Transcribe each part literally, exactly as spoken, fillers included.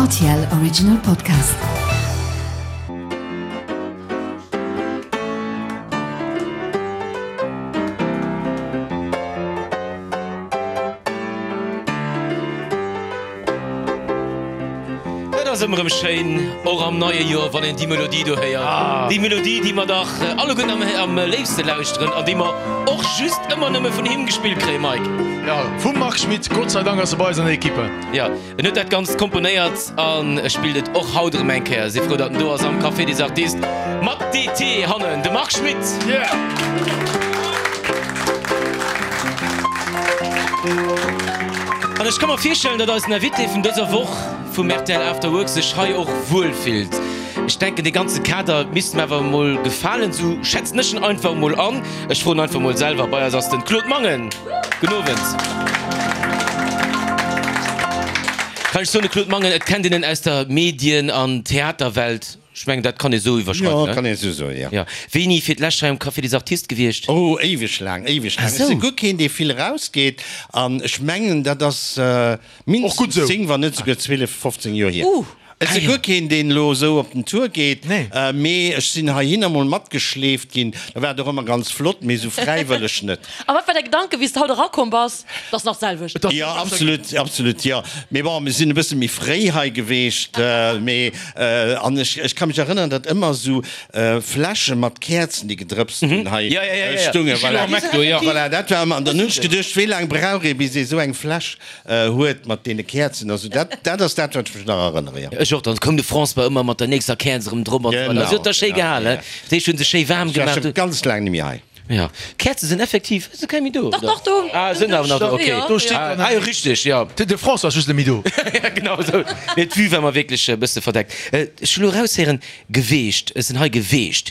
R T L Original Podcast. Et ass ëmmer erëm schéin, och am neie Joer, wann een déi Melodie do héiert. Déi Melodie, déi mer dach alleguerten am, am léifste lauschteren an déi mer och just ëmmer nëmme vun him gespillt kréien, Mike. Ja, vum Marc Schmitt. Gott sei Dank ass e bei eis an der Equipe. Ja, en huet dat Ganzt komponéiert an e spillt et och haut erëm eng Kéier. Si frou, datt en do ass am Café des Artistes mat D T hannen, de Marc Schmitt. Yeah! An ech ka mer virstellen, datt eisen Invité vun dëser Woch vum R T L After Work sech hei och wuel fillt. Ech denken, dee ganze Kader misst em awer emol gefalen, sou schätzen ech en einfach emol an. Ech froen einfach emol selwer. Bei eis ass den Claude Mangen. Gudden Owend. Kann ech soen, de Claude Mangen, et kennt een en aus der Medien an Theaterwelt. Ech mengen, dat kann ee sou iwwerschreiwen, Jo, ne? kann ee sou soen, jo. Jo. Wéini fir d'lescht hei am Café des Artistes gewiescht? Oh, éiweg laang, éiweg laang. Ah Ech si sou. guer keen, dee vill erausgeet. An ech mengen, dat ass Och gutt mindestens sou. zéng, wann net souguer zwielef, fofzéng Joer hier. Uh. Ech Ah si jo. guer keen, deen elo esou op den Tour geet, Nee. mee ech sinn heihinner mol matgeschleeft ginn. Da war et och ëmmer ganz flott, mee esou fräiwëlleg net. A wat war däi Gedanke wéi s de haut erakomm bass? Et ass nach d'selwecht. Et ass Jo, absolut, absolut, jo. Mee bon, mir sinn e bësse méi fréi hei geweecht, mee an ech, ech ka mech erënneren, datt ëmmer esou Fläsche mat Käerzen, déi gedrëpst hunn, hei Ja, ja, ja, ja, ja. stungen. Voilà, Déi si effektiv. voilà, dat war ëmmer. An dann hunn ech geduecht, wéi laang brauch ee, bis ee esou eng Fläsch huet mat deene Käerzen. Also dat, dat ass dat, wat ech mech nach erënnere, jo. Ech och, dann koum de François ëmmer mat der nächster Käerz erëm drop an esou weider. Si huet der schéi Genau, gehalen, ja. dat heescht, hunn se schéi waarm Ech war gemaach. scho ganz laang net méi hei. Ja, Käerze sinn effektiv, si keng méi do, Dach, oder? dach, do. Ah, sinn awer nach do, okay. Jo, Do steet jo. Ah, jo, richteg, jo. De, de François ass just net méi do. Ja, genau esou. Nee, d'Vue war mer wierklech e bësse verdeckt. Ech hu lo eraushéieren, geweecht, ech sinn hei geweecht.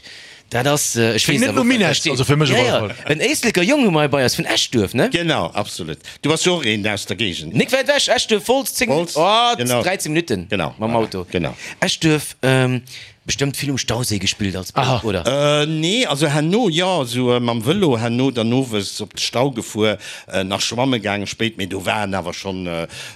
Dat ass, ech Klingt weess net awer no och, wat da Minett, steet. also fir mech op Ja, alle ja, Fall. en Éisleker Jong hu mer hei bei eis, vun Eschduerf, ne? Genau, absolut. Du bass jo och een aus der Géigend. Nik wäit ewech, Eschduerf, Wolz, zéng, Wolz, oh, genau. dräizéng Minutten Genau, mam voilà, Auto. genau. Eschduerf, bestëmmt vill um Stauséi gespillt als Bouf, oder? Nee, also herno jo, esou mam Vëlo herno dann owes op de Stau gefuer, nach schwamme gaangen spéit, mee do waren awer schonn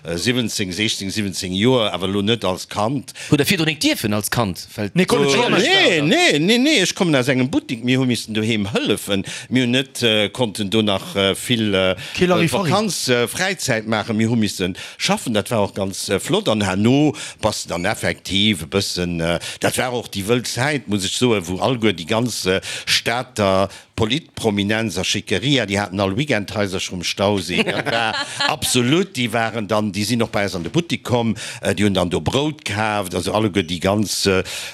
siwwenzéng, sechzéng, siwwenzéng Joer, awer elo net als Kand. Hutt der virdrun nik dierfen als Kand, well Nee, konnt net schwammen. Nee, nee, nee, nee, ech kommen aus engem Buttik, mir hu missen doheem hëllefen, mir hunn net konnten do nach vill Kee Larifari. Vakanz, Fräizäit maachen, mir hu missen schaffen, dat war och ganz flott an herno bass de dann effektiv e bëssen, dat war och déi wëll Zäit, muss ech soen, wou alleguer déi ganz Stater Politprominenz a Schickeria, déi haten all Weekendhaisercher um Stauséi, dat war absolut, déi waren dann, déi sinn och bei eis an de Buttik komm, déi hunn dann do Brout kaaft, also alleguer déi ganz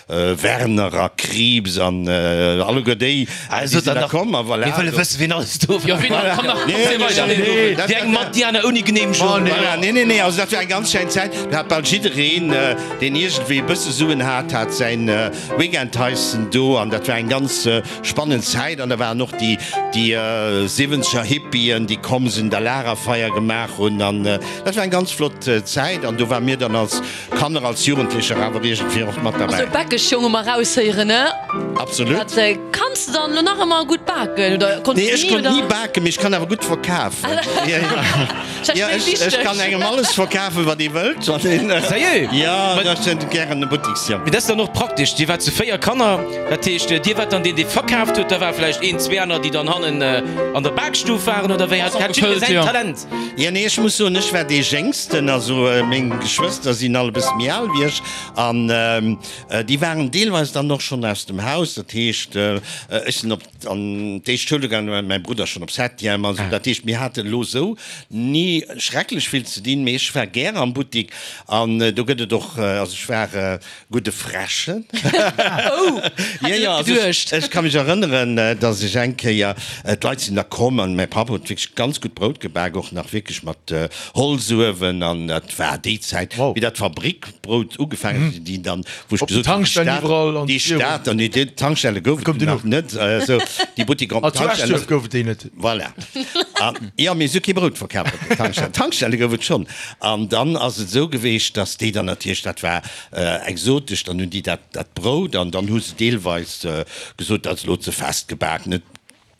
Werner a Krieps an alleguer déi, déi sinn da komm a voilà. Mir wëlle wëssen, wien alles do war. Jo, wien nach, komm nach, komm, Nee, zéi weider. nee, nee, dat Déi eng mat, déi aner ouni Geneemegung. Voilà, nee, nee, nee, also dat war eng ganz schein Zäit. Do hat bal jiddereen, deen iergendwéi e bësse Suen hat, hat säin Weekendhaissen do an dat war eng ganz spannend Zäit. An da waren och déi, déi siwwenzeger Hippien, déi komm sinn, da Lagerfeier gemaach hunn an dat war eng ganz flott Zäit an do ware mir dann als Kanner, als Jugendlecher awer iergendwéi och mat Also derbäi. Bäckeschjong hu mer eraushéieren, ne? Absolut. Dat kanns de dann elo nach ëmmer gutt baken oder konns Nee, de ech ni konnt oder? ni baken, mee ech kann awer gutt verkafen. Ja, ja. Ja, ech, ech kann engem alles verkafen, wat ee wëllt. Wann een, Sérieux? Ja, Wat- ech sinn gären e Buttiksjong. Mee dat ass dann och praktesch, Dir waart zu véier Kanner, dat heescht, Dir waart dann deen, dee verkaaft huet, da war vläicht een, zwee aner, déi dann hannen an der Bakstuf waren, oder wéi? Hat hat jidderee säin Talent? Ja, nee, ech muss soen, ech war dee Jéngsten, also meng Geschwëster sinn all e bësse méi al wéi ech an déi waren deelweis dann och schonn aus dem Haus. Dat heescht, ech sinn op an d'éischt Schoul gaangen, war mäi Brudder schonn op Septième. Also dat heescht, mir haten elo esou ni schrecklech vill ze dinn, mee ech war gär am Buttik an do gëtt et och, also ech war gudde Fräschen. Oh, Ja, ja, also ech, ech ka mech erënneren, dass ech eng Kéier, d'Leit sinn da komm an mäi Papp huet wierklech ganz gutt Brout gebak, och nach wierklech mat Holzuewen an dat war déi Zäit, wéi dat Fabrikbrout ugefaangen huet, déi dann, wou ech Op den gesot hunn, déi Tankstellen Stad, iwwerall an déi virun. Stater, nee, déi Tankstelle gouf et Koum dunn duerno. nach net, esou déi Buttiker op Ah, den zu Tankstellen. Eschduerf gouf et déi net. Voilà. An, jo, mee se hu kee Brout verkaf op den Tankstellen. Tankstelle gouf et schonn. An dann ass et esou geweecht, dass déi dann natierlech, dat war exotesch, dann hunn déi dat, dat Brout an dann hu se deelweis gesot, dat ass elo ze fest gebak, net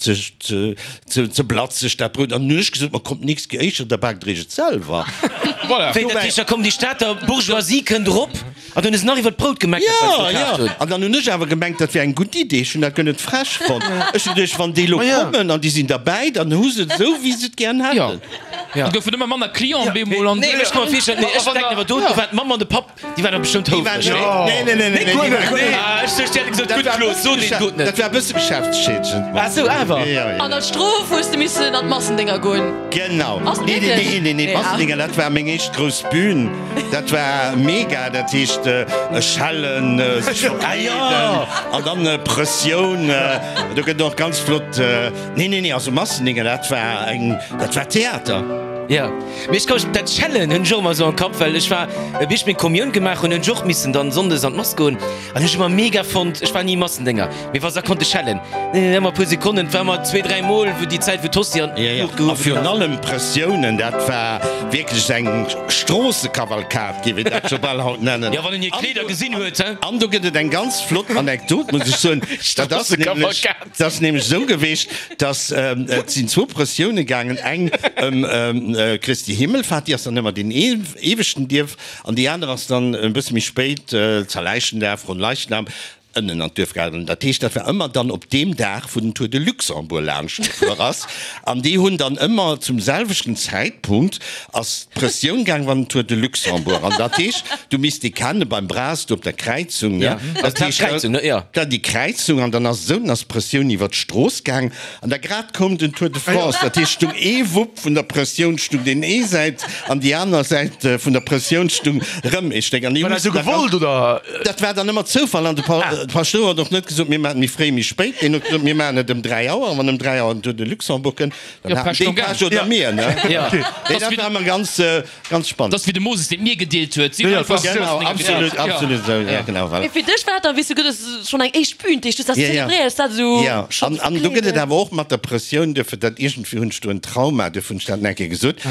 ze, ze, ze, ze blatzeg, dat Brout. An hunn ech gesot, Ma kommt, nächst Kéier éischter, da baakt der iech et selwer. Voilà. Wéi dat heescht, da komm déi Stater Bourgeoisie kënnt erop an dann hu se nach iwwer d'Brout gemeckert, wat se Ja, gekaaft ja. hunn. An dann hunn ech awer gemengt, dat wär eng gutt Idee. Ech hunn dat guer net frech fonnt. Ech hunn geduecht, wann déi elo kommen an déi sinn derbäi, dann hu se et esou, wéi se et gären hätten. Ja. Et goufen ëmmer manner Clienten bemol an. Nee, ech ka mer virstellen, nee, ech denken awer do, do waren d'Mamm an de Papp, déi waren da bestëmmt Déi waren, houfreg, nee? nee, nee, nee, nee, nee, déi waren, nee. Ah, ech duecht, déi hätte gesot, Dat gutt war e Claude, bësse so deen Geschäft, gutt net. dat war e bësse geschäftsschädegend. Ah sou, awer. Ja, ja, ja. An als Strof hues de missen an d'Massendinger goen. Genau. Ass Nee, nee, wierklech? nee, nee, nee, Nee, ah. Massendinger, dat war meng éischt grouss Bühn. Dat war mega, dat heescht schellen, sech verkleeden an dann Pressioun. Do gëtt och ganz flott, nee, nee, nee, also Massendinger, dat war eng, dat war Theater. Jo, mee ech ka mech, dat Schellen hunn ech och ëmmer esou am Kapp, well ech war, wéi ech meng Kommioun gemaach hunn, hunn ech och missen dann sonndes an d'Mass goen an hunn ech ëmmer mega fonnt, ech war ni Massendénger, mee wa se da konnte schellen, ëmmer e puer Sekonnen, et war ëmmer zwee, dräi Mol, wou déi Zäit, wou d'Hostie an Jo, jo, d'Luucht a gehuewen virun ass. allem Pressiounen, dat war wierklech eng Stroossekavalkad, géif een dat scho bal haut nennen. Jo, wann een hir Kleeder gesinn huet, he? An do gëtt et eng ganz flott Anekdot, muss ech soen, dat ass nämlech, Stroossekavalkad. dat ass nämlech esou geweecht, dass, et sinn zwou Prëssioune gaangen, eng ëm Christi Himmelfahrt, déi ass dann ëmmer deen eeweschten Dierf, an déi aner ass dann e bësse méi spéit, Zerläichendag, Fronleichnam, ënnen an d'Duerf gaangen. Dat heescht, dat war ëmmer dann op deem Dag, wou den Tour de Luxembourg laanscht gefuer ass. An déi hunn dann ëmmer zum selwechten Zäitpunkt ass d'Pressioun gaang, wann den Tour de Luxembourg. An dat heescht, du misst déi kenne beim Bras do op der Kräizung, ne? Ja, dat heescht, d'Kräizung, ne? Jo. Da déi Kräizung, an dann ass esou, dann ass d'Pressioun iwwer d'Strooss gaang. An da grad koum den Tour de France. Dat heescht, stung ee Wupp vun der Pressioun stung deen ee Säit an déi aner Säit vun der Pressioun stung rëm ee Stéck. An déi War dat hu esou missen da ganz gewollt, oder? Dat war dann ëmmer Zoufall an de Paschtouer huet och net gesot, mir maachen et méi fréi, méi spéit. Deen huet gesot, mir maachen et ëm dräi Auer. An wann ëm dräi Auer den Tour de Luxembourg kënnt, dann haten déi Pech oder mir, ne? Nee, dat war ëmmer ganz, ganz spannend. Dat ass wéi de Moses, deen d'Mier gedeelt huet. Si hunn einfach Genau, absolut, absolut esou, ja, genau, voilà. Mee fir dech war dat dann, wéi s du gesot hues, schonn eng éischt Bühn, déi s du dat zelebréiers, dat esou Ja, schonn an, an do gëtt et verkleeden. awer och mat der Pressioun, duerfir dat iergendwéi hunn ech do en Trauma, duerfir hunn ech dat nach eng Kéier gesot.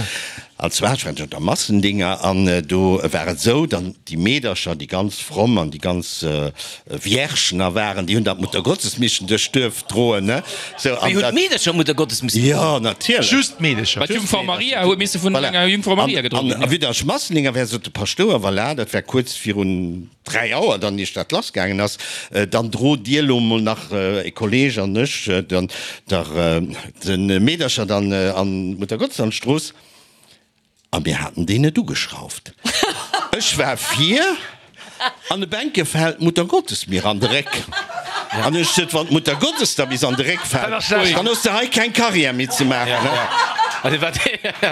An zwar, ech war jo der Massendinger an do war et esou, dann déi Meedercher, déi ganz fromm an déi ganz Viergen a waren, déi hunn dat Muttergottesmischen duerch d'Duerf droen, ne? Sou, Wéi an hunn dat. d'Meedercher d'Muttergottes missen Jo, droen? natierlech. Just d'Meedercher. Well d'Jungfrau Maria huet misse vun Voilà. enger Jungfrau Maria An, gedroen an ginn. a wéi der ech Massendinger war, sot de Paschtouer, voilà, dat war kuerz virun dräi Auer dann, iech dat lassgaangen ass, dann drot Dir elo mol nach, e Kolleg an ech, dann der de Meedercher dann an d'Muttergottes an d'Strooss. A mir haten déi net ugeschrauft. Ech war vir an de Bänke fält d'Muttergottes mir an de Réck. An ech sot, Wann d'Muttergottes der bis an de Réck fält, dann hues de hei keng Carrière méi ze maachen. Dat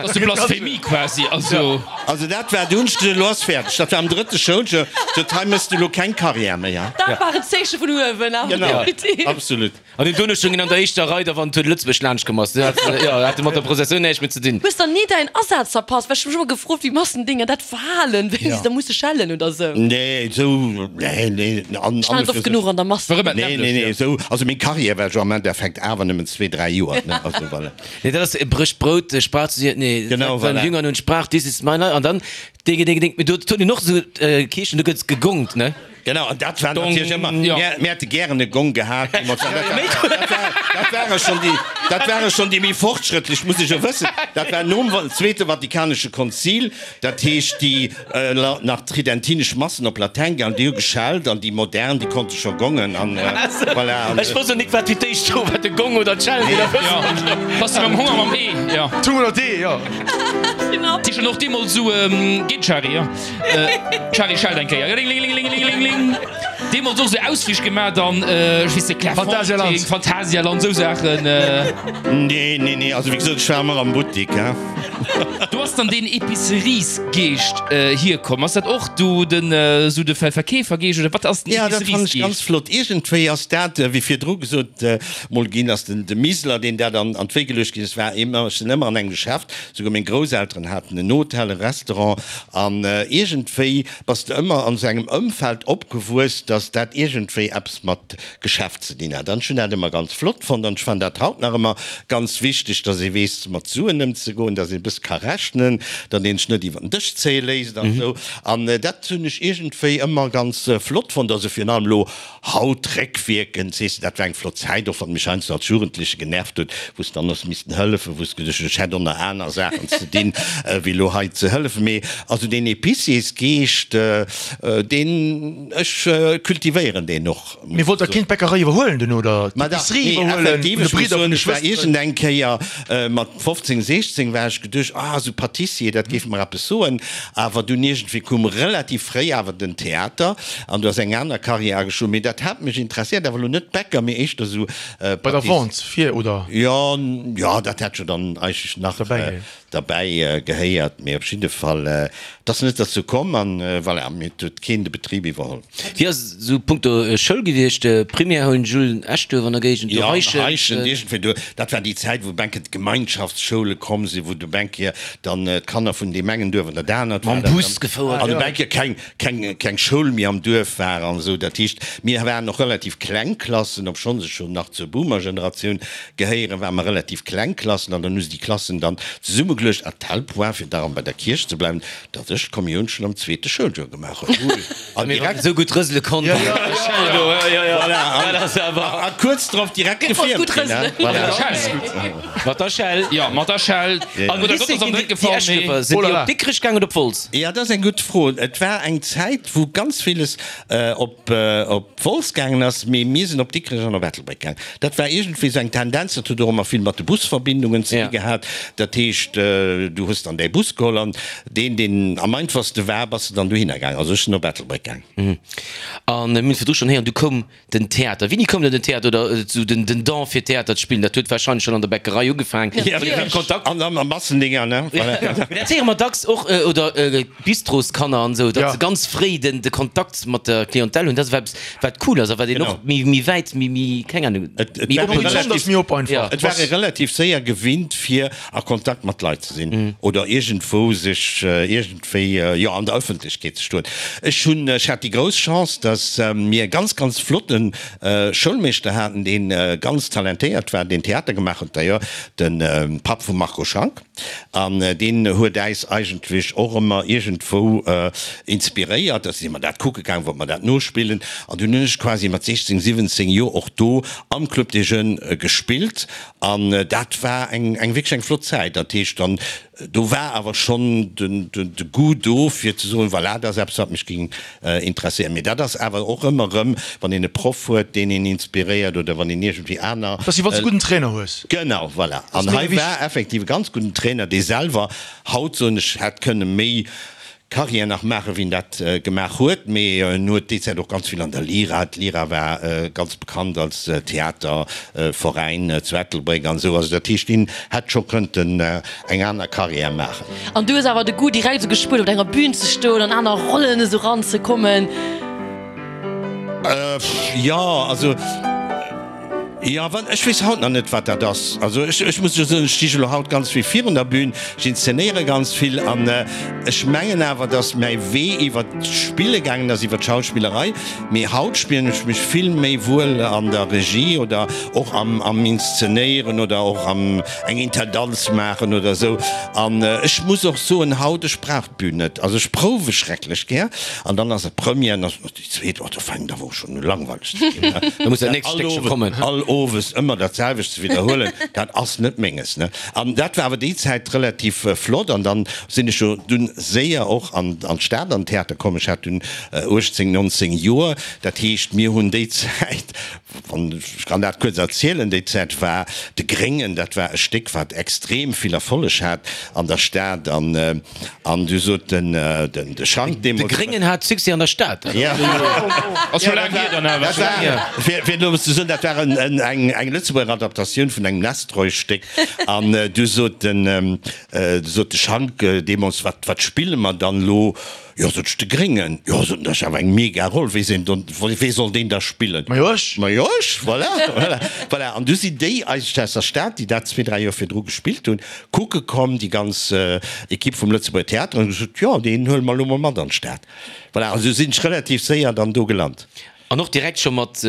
ass de Blasphemie quasi. Also. Also dat war, du hunn ech gesot, elo ass fäerdeg. Dat war am drëtte Schouljoer. Sot, hei méchs de elo keng Carrière méi. Dat war en Zeeche vun uewen, awer Genau, definitiv. absolut. An den Donneschdungen an der éischter Rei, da wann d'Tour de Lëtzebuerg laanscht komm ass, do hat jo, hat mat der Prozessioun näischt méi ze dinn. Hues dann ni däin Asaz verpasst? Well ech hu mech ëmmer gefrot, wéi Massendinger dat verhalen, wéini se da musse schellen oder sou. Nee, esou, nee, nee, an, Ech war an net oft genuch an der Mass. War ëmmer Nee, nee, nee, esou, also meng Carrière war jo am Endeffekt awer nëmmen zwee, dräi Joer, ne, also voilà. Nee, dat ass Brëch Brout, sprach zu ihr, nee, Genau, seinen voilà. Jüngern und sprach, dies ist mein Leib, an dann, Dinge, Dinge, Dinge, do tun die noch so Kierchen, do gëtt gegongt, ne? Genau, an dat war natierlech ëmmer, jo. mir, mir hätte gären e Gong gehat, wou mer, dat war, dat war, dat ware schonn déi, dat ware schonn déi méi fortschrëttlech, muss ech jo wëssen, dat war nom Zweete Vatikanesche Konzil, dat heescht déi nach tridentinesch Massen op Latäin gaangen, déi hu geschellt an déi modern, déi konnte scho gongen an voilà. An, Ech wosst och nik wat fir d'éischt do war, de Gong oder d'Schellen, Jo, dat ass wéi mam Honger mam Ee, jo. D'Hu oder d'Ee, jo. Déi schon och deemools esou, geet Chari, jo. Chari schellt eng Kéier, ringelingelingelingeling. Deemools och esou Ausflich gemaach an, ech weess net, Phantasialand. Clairefontaine, Phantasialand, esou Saachen. Nee, nee, nee, also wéi gesot, ech war ëmmer am Buttik, hein. Do ass dann deen Epiceriesgeescht hierkomm. Ass dat och do den, esou de Verkeefergeescht oder wat ass den Ja, dat fannen ech Epiceriesgeescht? ganz flott. Iergendwéi ass dat, wéi virdru gesot mol ginn ass, den de Miseler, deen dat an an d'Wéi geluecht ginn ass, war ëmmer, ech sinn ëmmer an engem Geschäft, souguer meng Grousselteren haten en Hotel, e Restaurant, an iergendwéi bass de ëmmer an esou engem Ëmfeld opgewuess, dass datt dat iergendwéi eppes mat Geschäft ze dinn hat. An ech hunn dat ëmmer ganz flott fonnt an ech fannen dat haut nach ëmmer ganz wichteg, datt ee weess mat Suen ëmzegoen, datt een e bësse ka rechnen, datt een sech net iwwer den Dësch zéie léisst an esou. An dat hunn ech iergendwéi ëmmer ganz flott fonnt. Also virun allem elo haut réckwierkend, sees de, dat war eng flott Zäit, och wann et mech heiansdo als Jugendleche genervt huet, wou s dann hues missten hëllefen, wou s geduecht hues, ech hätt och nach aner Saachen ze dinn, wéi elo hei ze hëllefen. Mee also deen Épiciers-Geescht, deen, ech cultivéieren deen och, Mee muss wollt ech der keen soen. d'Bäckerei iwwerhuelen duerno oder Ma dach, d'Épicerie nee, iwwerhuelen effektiv, vun de ech muss Bridder, vun soen, de ech war Schwësteren? iergendeng Kéier mat fofzéng, siechzéng war ech geduecht, ah, esou Pâtissier, dat géif mer eppes soen. Awer dunn iergendwéi koum relativ fréi awer den Theater an du ass eng aner Carrière ageschloen. Mee dat hat mech interesséiert, awer elo net Bäcker, mee éischter esou Bei der Pâtiss. Vente fir, oder? Jo, jo, dat hätt jo dann eigentlech nach Derbäi. derbäi gehéiert. Mee op jidde Fall, et ass net derzou komm an voilà, mee et huet keen de Betrib iwwerholl. Wéi ass et esou punkto Schoul gewiescht? Primaire hunn Jules Eschduerf an der Géigend, do Jo, Heischent. Heischent, iergendwéi do. Dat war déi Zäit, wou Bänke d'Gemeinschaftsschoule komm sinn, wou du Bänke dann d'Kanner vun deem engen Duerf an dat anert war Mam dat Bus dann, gefouert. an Bänke keng, keng, keng Schoul méi am Duerf war an esou. Dat heescht, mir waren och relativ kleng Klassen, obschonns ech jo nach zur Boomer-Generatioun gehéieren, ware mer relativ kleng Klassen an dann hu se déi Klassen dann zesummegeluecht à tel point, fir da erëm bei der Kierch ze bleiwen, datt ech d'Kommioun schonn am zweete Schouljoer gemaach hunn. An direkt esou gutt rësele konnt. Voilà, an kuerz drop direkt gefiermt ginn. Voilà. Mat der Schell. Jo, mat der Schell. An Oder Lycée Gott ass am ginn Dréck déi gefall, mee. Eschduerfer, sinn Oh déi là là. op Dikrech gaang oder op Wolz? Ja, dat ass eng gutt Fro. Et war eng Zäit, wou ganz villes op op Wolz gaangen ass, mee mir sinn op Dikrech an op Ettelbréck gaangen. Dat war iergendwéi esou eng Tendenz. Dat huet och ëmmer vill mat de Busverbindungen ze di gehat. Dat heescht, du hues dann däi Bus geholl an deen, deen am einfachste war, bass de dann dohinner gaangen. Also ech sinn op Ettelbréck gaangen. An mir hunn virdru schonn héieren, du koum den Theater. Wéini koum dann den Theater oder esou den den Don fir Theater ze spillen? Dat huet warscheinlech schonn an der Bäckerei ugefaangen. Ja, Kontakt. An am Massendinger, ne? Voilà. Mee dat héiere mer dacks och, oder Bistroskanner an esou, datt se ganz fréi den de Kontakt mat der Clientèle hunn. Dat ass eppes, wat cool ass a wat een och méi méi wäit, méi méi, keng Ahnung, méi oppen méi ass méi op einfach. Et war ee relativ séier gewinnt, fir a Kontakt mat Leit ze sinn oder iergendwou sech iergendwéi, jo, an der Ëffentlechkeet ze stoen. Ech hunn, ech hat déi grouss Chance, datt mir e ganz, ganz flotte Schoulmeeschter haten, dee ganz talentéiert war, deen Theater gemaach huet, d'ailleurs de Papp vum Marco Schank, an deen huet äis eigentlech och ëmmer iergendwou inspiréiert. Da si mer dat kucke gaang, wollte mer dat nospillen. An dunn hunn ech quasi mat siechzéng, siwwenzéng Joer och do am Club des Jeunes gespillt. An dat war eng, eng wierklech eng flott Zäit. Dat heescht dann, do war awer schonn den, de, de Goût do, fir ze soen, voilà, dat ass eppes, wat mech géing interesséieren. Mee dat ass awer och ëmmer erëm, wann een e Proff huet, deen een inspiréiert oder wann een iergendwéi aner. Dat ass wéi wann s de e gudden Trainer hues. Genau, voilà. An mega hei wichteg. war effektiv e ganz gudden Trainer, dee selwer, haut soen ech, hätt kënne méi Carrière nach maachen, wéi en dat gemaach huet. Mee en huet déi Zäit och ganz vill an der Lira, d'Lira war ganz bekannt als Theaterveräin zu Ettelbréck an esou, also dat heescht, deen hätt scho kënnten eng aner Carrière maachen. An du hues awer de Goût direkt esou gespuert, op enger Bühn ze stoen, an aner Rollen esou ranzekommen? Jo, also. Jo, wat, ech weess haut nach net, wat dat ass. Also ech, ech muss jo soen, ech sti jo elo haut ganz vill virun der Bühn, ech inszenéiere ganz vill an ech mengen awer, datt mäi Wee iwwer d'Spille gaangen ass, iwwer d'Schauspillerei. Mee haut spillen ech mech vill méi wuel an der Regie oder och am, am Inszenéieren oder och am eng Intendanz maachen oder esou. An ech muss och soen, haut, ech brauch d'Bühn net. Also ech prouwe schrecklech gär an dann ass et Première an dann ass déi zweet, oh, do fänkt awer och schonn u langweileg ze ginn. Da muss dat nächst Stéckche kommen. All Owes ëmmer dat selwecht ze widderhuelen, dat ass net menges, ne? An dat war awer déi Zäit relativ flott. An dann sinn ech jo dunn séier och an an d'Stad an d'Theater komm. Ech hat dunn uechtzéng, nonzéng Joer. Dat heescht, mir hunn déi Zäit, wann, ech kann dat kuerz erzielen, déi Zäit war De Gréngen, dat war e Stéck, wat extrem vill Erfolleg hat an der Stad. An an du sot den den de Schank De deemools. Gréngen hat Succès an der Stad. Ja. Ass scho laang hier dann awer. Dat war, fir fir elo ze soen, dat war en eng eng Lëtzebuerger Adaptatioun vun engem Nestroy-Stéck. An du sot den du sot de Schank deemools, Wat wat spille mer dann elo? Jo, sot ech, de Gréngen. Jo, sot en, dat ass awer eng mega Roll, wee sinn dann, wee soll deen da spillen? Ma jo ech. Ma jo ech, voilà, voilà, voilà. An du sinn déi eigentlech aus der Stad, déi dat zwee, dräi Joer virdru gespillt hunn, kucke komm, déi ganz Equipe vum Lëtzebuerger Theater, an hu gesot, jo, deen huele mer elo mol mat an d'Stad. Voilà, an esou sinn ech relativ séier dann do gelant. An och direkt scho mat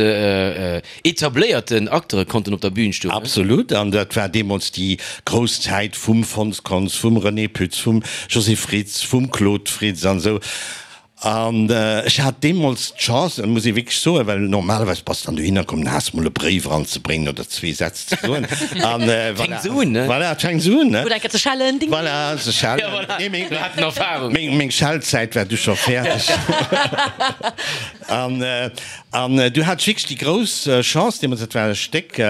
etabléierten Acteure konnten op der Bühn stoen. Absolut, an dat war deemools déi grouss Zäit vum Fons Kontz, vum René Pütz, vum José Fritz, vum Claude Fritz an esou. An ech hat deemools d'Chance, dat muss ee wierklech soen, well normalerweis bass de dann dohinner komm, dann has de mol e Bréif eranzebréngen oder zwee Sätz ze soen. An voilà. Fänkt esou un, ne? Voilà, et fänkt esou un, ne? Oder eng Kéier ze schellen, ding, ding. Voilà, ze schellen. Ja, voilà. Nee, meng, Mir haten Erfahrung. meng, meng Schellzäit war du scho fäerdeg. An, an du hat ech wierklech déi grouss Chance deemools, dat war e Stéck,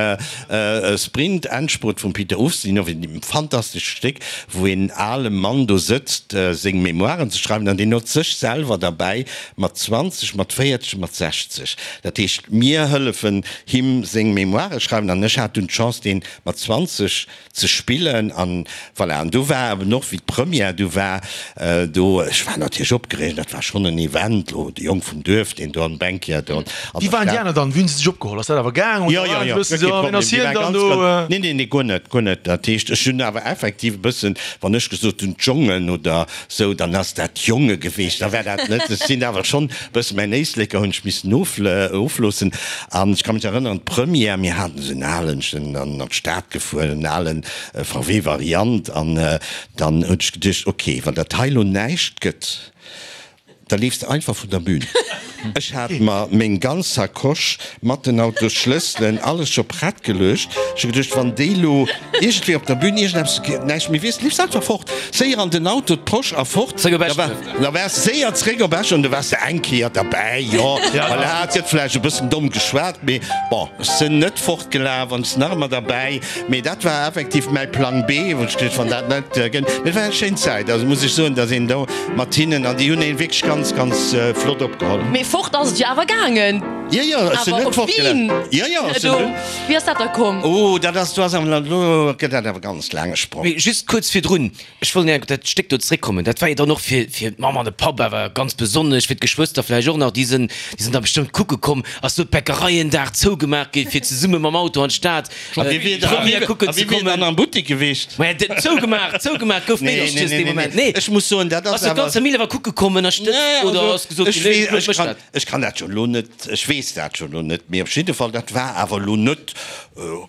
Sprint, Endspurt vum Peter Ustinov, e fantastescht Stéck, wou een ale Mann do sëtzt, seng Memoiren ze schreiwen, an deen huet sech selwer derbäi mat zwanzeg, mat véierzeg, mat sechzeg. Dat heescht, mir hëllefen him seng Memoiren schreiwen, an ech hat dunn d'Chance, deen mat zwanzeg ze spillen, an voilà. An do war eben och, wéi d'Première du war, do, ech war natierlech opgereegt, dat war schonn en Event, lo de Jong vum Duerf, deen do am Banquier do an der Wéi waren déi Stad. aner dann? Wéi hunn se sech opgeholl? Ass dat awer gaang Jo, oder jo, waren jo, se bëssen guer esou, kee ah, ween Problem. ass Déi hien war dann ganz, do? ganz, nee, nee, nee, guer net, guer net. Dat heescht, ech hunn awer effektiv e bëssen, wann ech gesot hunn, d'Jongen oder sou, dann ass dat Jonge geweecht, da war dat net. Ech sinn awer schonn e bëssen, mäin Éisleker hunn ech missen ofloossen. An ech ka mech erënneren, d'Première, mir haten esou en alen, ech sinn an d'Stad gefuer, en alen V W Variant, an dann hunn ech geduecht, ok, wann dat hei elo näischt gëtt, da leefs de einfach vun der Bühn. Ech hat mer meng ganz Sacoche mat den Autosschlësselen, alles scho prett geluecht. Ech hu geduecht, wann déi lo iergendwéi op der Bühn iergendeppes näischt méi weess, leefs einfach fort. Séier an den Auto, d'Posch a fort. Zréck op Da war, Eschduerf. da waars de séier zréck op Esch an du waars de eng Kéier derbäi. Jo, voilà, et gëtt vläicht e bëssen domm geschwat, mee bon, ech sinn net fortgelaf an ech sinn nach ëmmer derbäi. Mee dat war effektiv mäi Plang B, wou ech geduecht, wann dat net gëtt. Mee et war eng schéin Zäit, also muss ech soen, datt een do mat hinnen, an déi hunn een wierklech ganz, ganz flott opgeholl. Mee fort ass et jo awer gaangen. Jo, jo, ech sinn Awer net op fortgelaf. Wien? Jo, jo, ech sinn Do, net. wéi ass dat da komm? Oh, dat ass, do ass awer, elo gëtt dat awer ganz laange Sprong. Mee just kuerz virdrun, ech wollt nach op dat Stéck do zréckkommen, dat war jo dann och fir, fir d'Mamm an de Papp awer ganz besonnesch, fir d'Geschwëster vläicht och nach, déi sinn, déi sinn da bestëmmt kucke komm, ass do d'Bäckerei en Dag zougemaach gi fir zesumme mam Auto an d'Stad d'Première kucken ze Wie wier dann kommen. am Buttek gewiescht? Maja, den zougemaach, zougemaach gouf Nee, nee, Meederche's nee, dee nee, Moment. nee. Nee. Ech muss soen, dat ass Ass do awer. d'ganz Famill awer kucke kommen a stëtzt Nee, oder also, ass gesot ech ginn, nee, wee, Claude ech mécht kann, dat? ech kann dat jo elo net, ech weess dat jo elo net, mee op jidde Fall, dat war awer elo net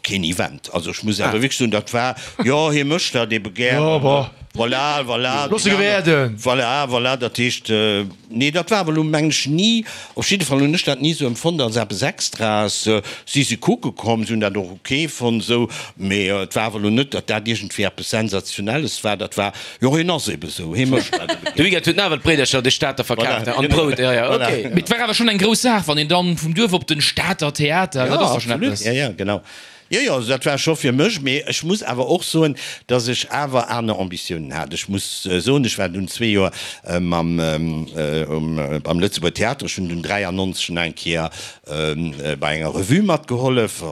keen Event. Also ech muss awer wierklech soen, dat war, jo, hie mécht dat ebe gär. Jo, bon. Voilà, voilà. Looss se gewäerden. Voilà, voilà, dat heescht, nee, dat war awer elo, mengen ech, ni, op jidde Fall hunn ech dat ni esou empfonnt als eppes Extraes. Si si kucke komm, si hunn dat och ok fonnt esou, mee et war awer elo net, datt dat iergendwéi eppes Sensationelles war. Dat war, jo, hien ass ebe esou, hie mécht dat ebe De gär. Weekend huet en awer d'Bréidercher de Stater verkaaft Voilà, an genau. d'Brout, jo, jo, Voilà. ok. Mee et war awer schonn eng grouss Saach, wann een dann vum Duerf op den Stater Theater, dat Ja, ass da schonn absolut. eppes. Ja, ja, genau. Jo, jo, also dat war scho fir mech, mee ech muss awer och soen, dass ech awer aner Ambitiounen hat. Ech muss soen, ech war dunn zwee Joer mam, um, am Lëtzebuerger Theater. Ech hunn dunn dräiannonzeg nach eng Kéier bei enger Revue matgehollef,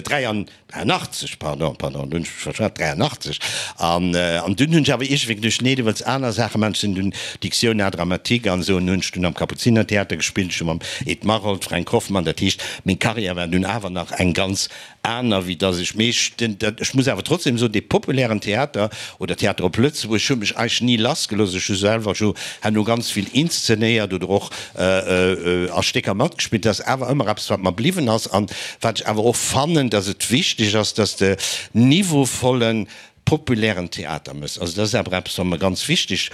dräiannachtzeg, pardon, pardon, do hunn ech mech verschwat, dräiannachtzeg. An, an dunn hunn ech awer iergendwéi geduecht, nee, du wëlls aner Saache maachen. Ech sinn dunn Diction à dramatique an esou, an hunn ech dunn am Kapuzinertheater gespillt, ech hu mam Ed Maroldt, Fränk Hoffmann, dat heescht, meng Karriär war dunn awer nach eng ganz aner, wéi dass ech mech, den, dat, ech muss awer trotzdem soen, dee populären Theater oder Theater op Lëtzebuerg huet mech eigentlech ni lassgelooss. Ech hu selwer jo herno ganz vill inszenéiert oder och a Stécker matgespillt. Dat ass awer ëmmer eppes, wat mer bliwwen ass an wat ech awer och fannen, dass et wichteg ass, dass de niveauvollen, populären Theater mëss. Also dat ass awer eppes, wat mer ganz wichteg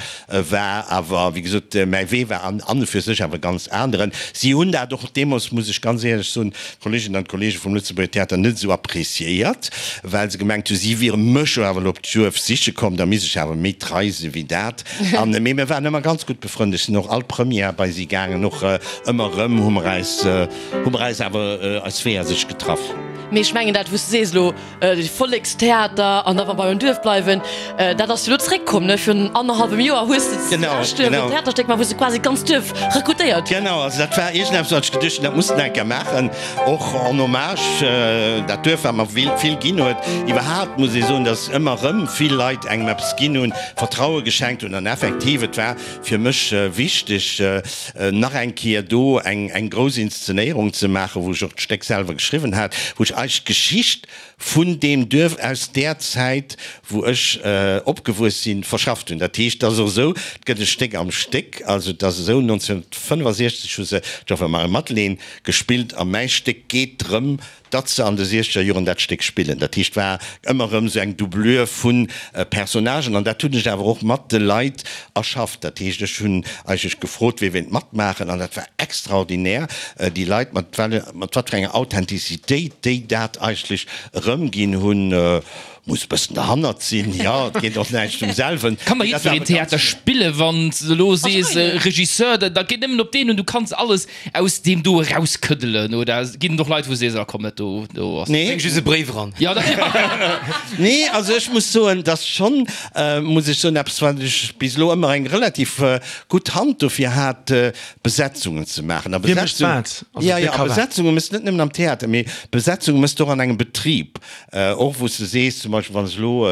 war. Awer wéi gesot, mäi Wee war an an und für sech awer e ganz aneren. Si hunn dat och deemools, muss ech ganz éierlech soen, d'Kolleeginnen an d'Kolleege vum Lëtzebuerger Theater net esou appréciéiert, well se gemengt hu si wiere mech jo awer elo op d'Duerf siche komm, da misst ech awer méi trei si wéi dat. An, mee mir waren ëmmer ganz gutt befrënnt. Ech sinn och all Première bei si gaangen, och ëmmer erëm hu mer eis, hu mer eis awer eis Weeër sech getraff. Mee ech mengen dat wou s de sees elo, de Vollekstheater an da wa bei um Duerf bleiwen, dat ass jo elo zréckkomm, ne? Virun annerhallwem Joer hues de zu Eschduerf en Theaterstéck gemaach, wou s de quasi d'ganz Duerf rekrutéiert hues. Genau, also dat war iergendeppes wat ech geduecht hunn, dat muss de eng Kéier maachen, och en hommage dat Duerf wat mer vill ginn huet. Iwwerhaapt muss ee soen, datt ëmmer erëm vill Leit engem eppes ginn hunn, Vertraue geschenkt hunn an effektiv, et war fir mech wichteg nach eng Kéier do eng grouss Inszenéierung ze maachen, wou ech och d'Stéck selwer geschriwwen hat, wou ech eigentlech d'Geschicht vun deem Duerf aus där Zäit, wou ech opgewuess sinn, verschafft hunn. Dat heescht, et ass och esou, et gëtt e Stéck am Stéck. Also et ass esou, nonzénhunnertfënnefasechzeg hu se d'Joffer Marie Madeleine gespillt a mäi Stéck geet drëm, datt se an de siechzeger Joren dat Stéck spillen. Dat heescht, et war ëmmer erëm esou eng Doublure vu Personnagen an dat hunn ech awer och mat de Leit erschafft. Dat heescht, ech hunn eigentlech gefrot, wie wéilt matmaachen an dat war extraordinär, déi Leit, mat mat wat fir enger Authentizitéit déi dat eigentlech erëmginn hunn. Muss e bëssen derhannert sinn, jo, et geet och näischt um selwen. Kann da jiddwereen Theater spillen, wann s de elo sees Regisseur, da geet nëmmen op deen un, du kanns alles aus deem do erauskëddelen, oder ginn et och Leit wou s sees, ah komm, dat do do ass. Nee. Bréng just e Bréif eran. Jo, da. Nee, also ech muss soen, dass schonn, muss ech soen, eppes wat ech bis elo ëmmer eng relativ gutt Hand dofir hat, Besetzungen ze maachen. A Wie mécht Besetzung, wat? Also ja, wie ja, a ka wat? Besetzunge mëss net nëmmen am Theater, mee Besetzunge mëss de och an engem Betrib. Och wou s de sees, zum Beispill wann s elo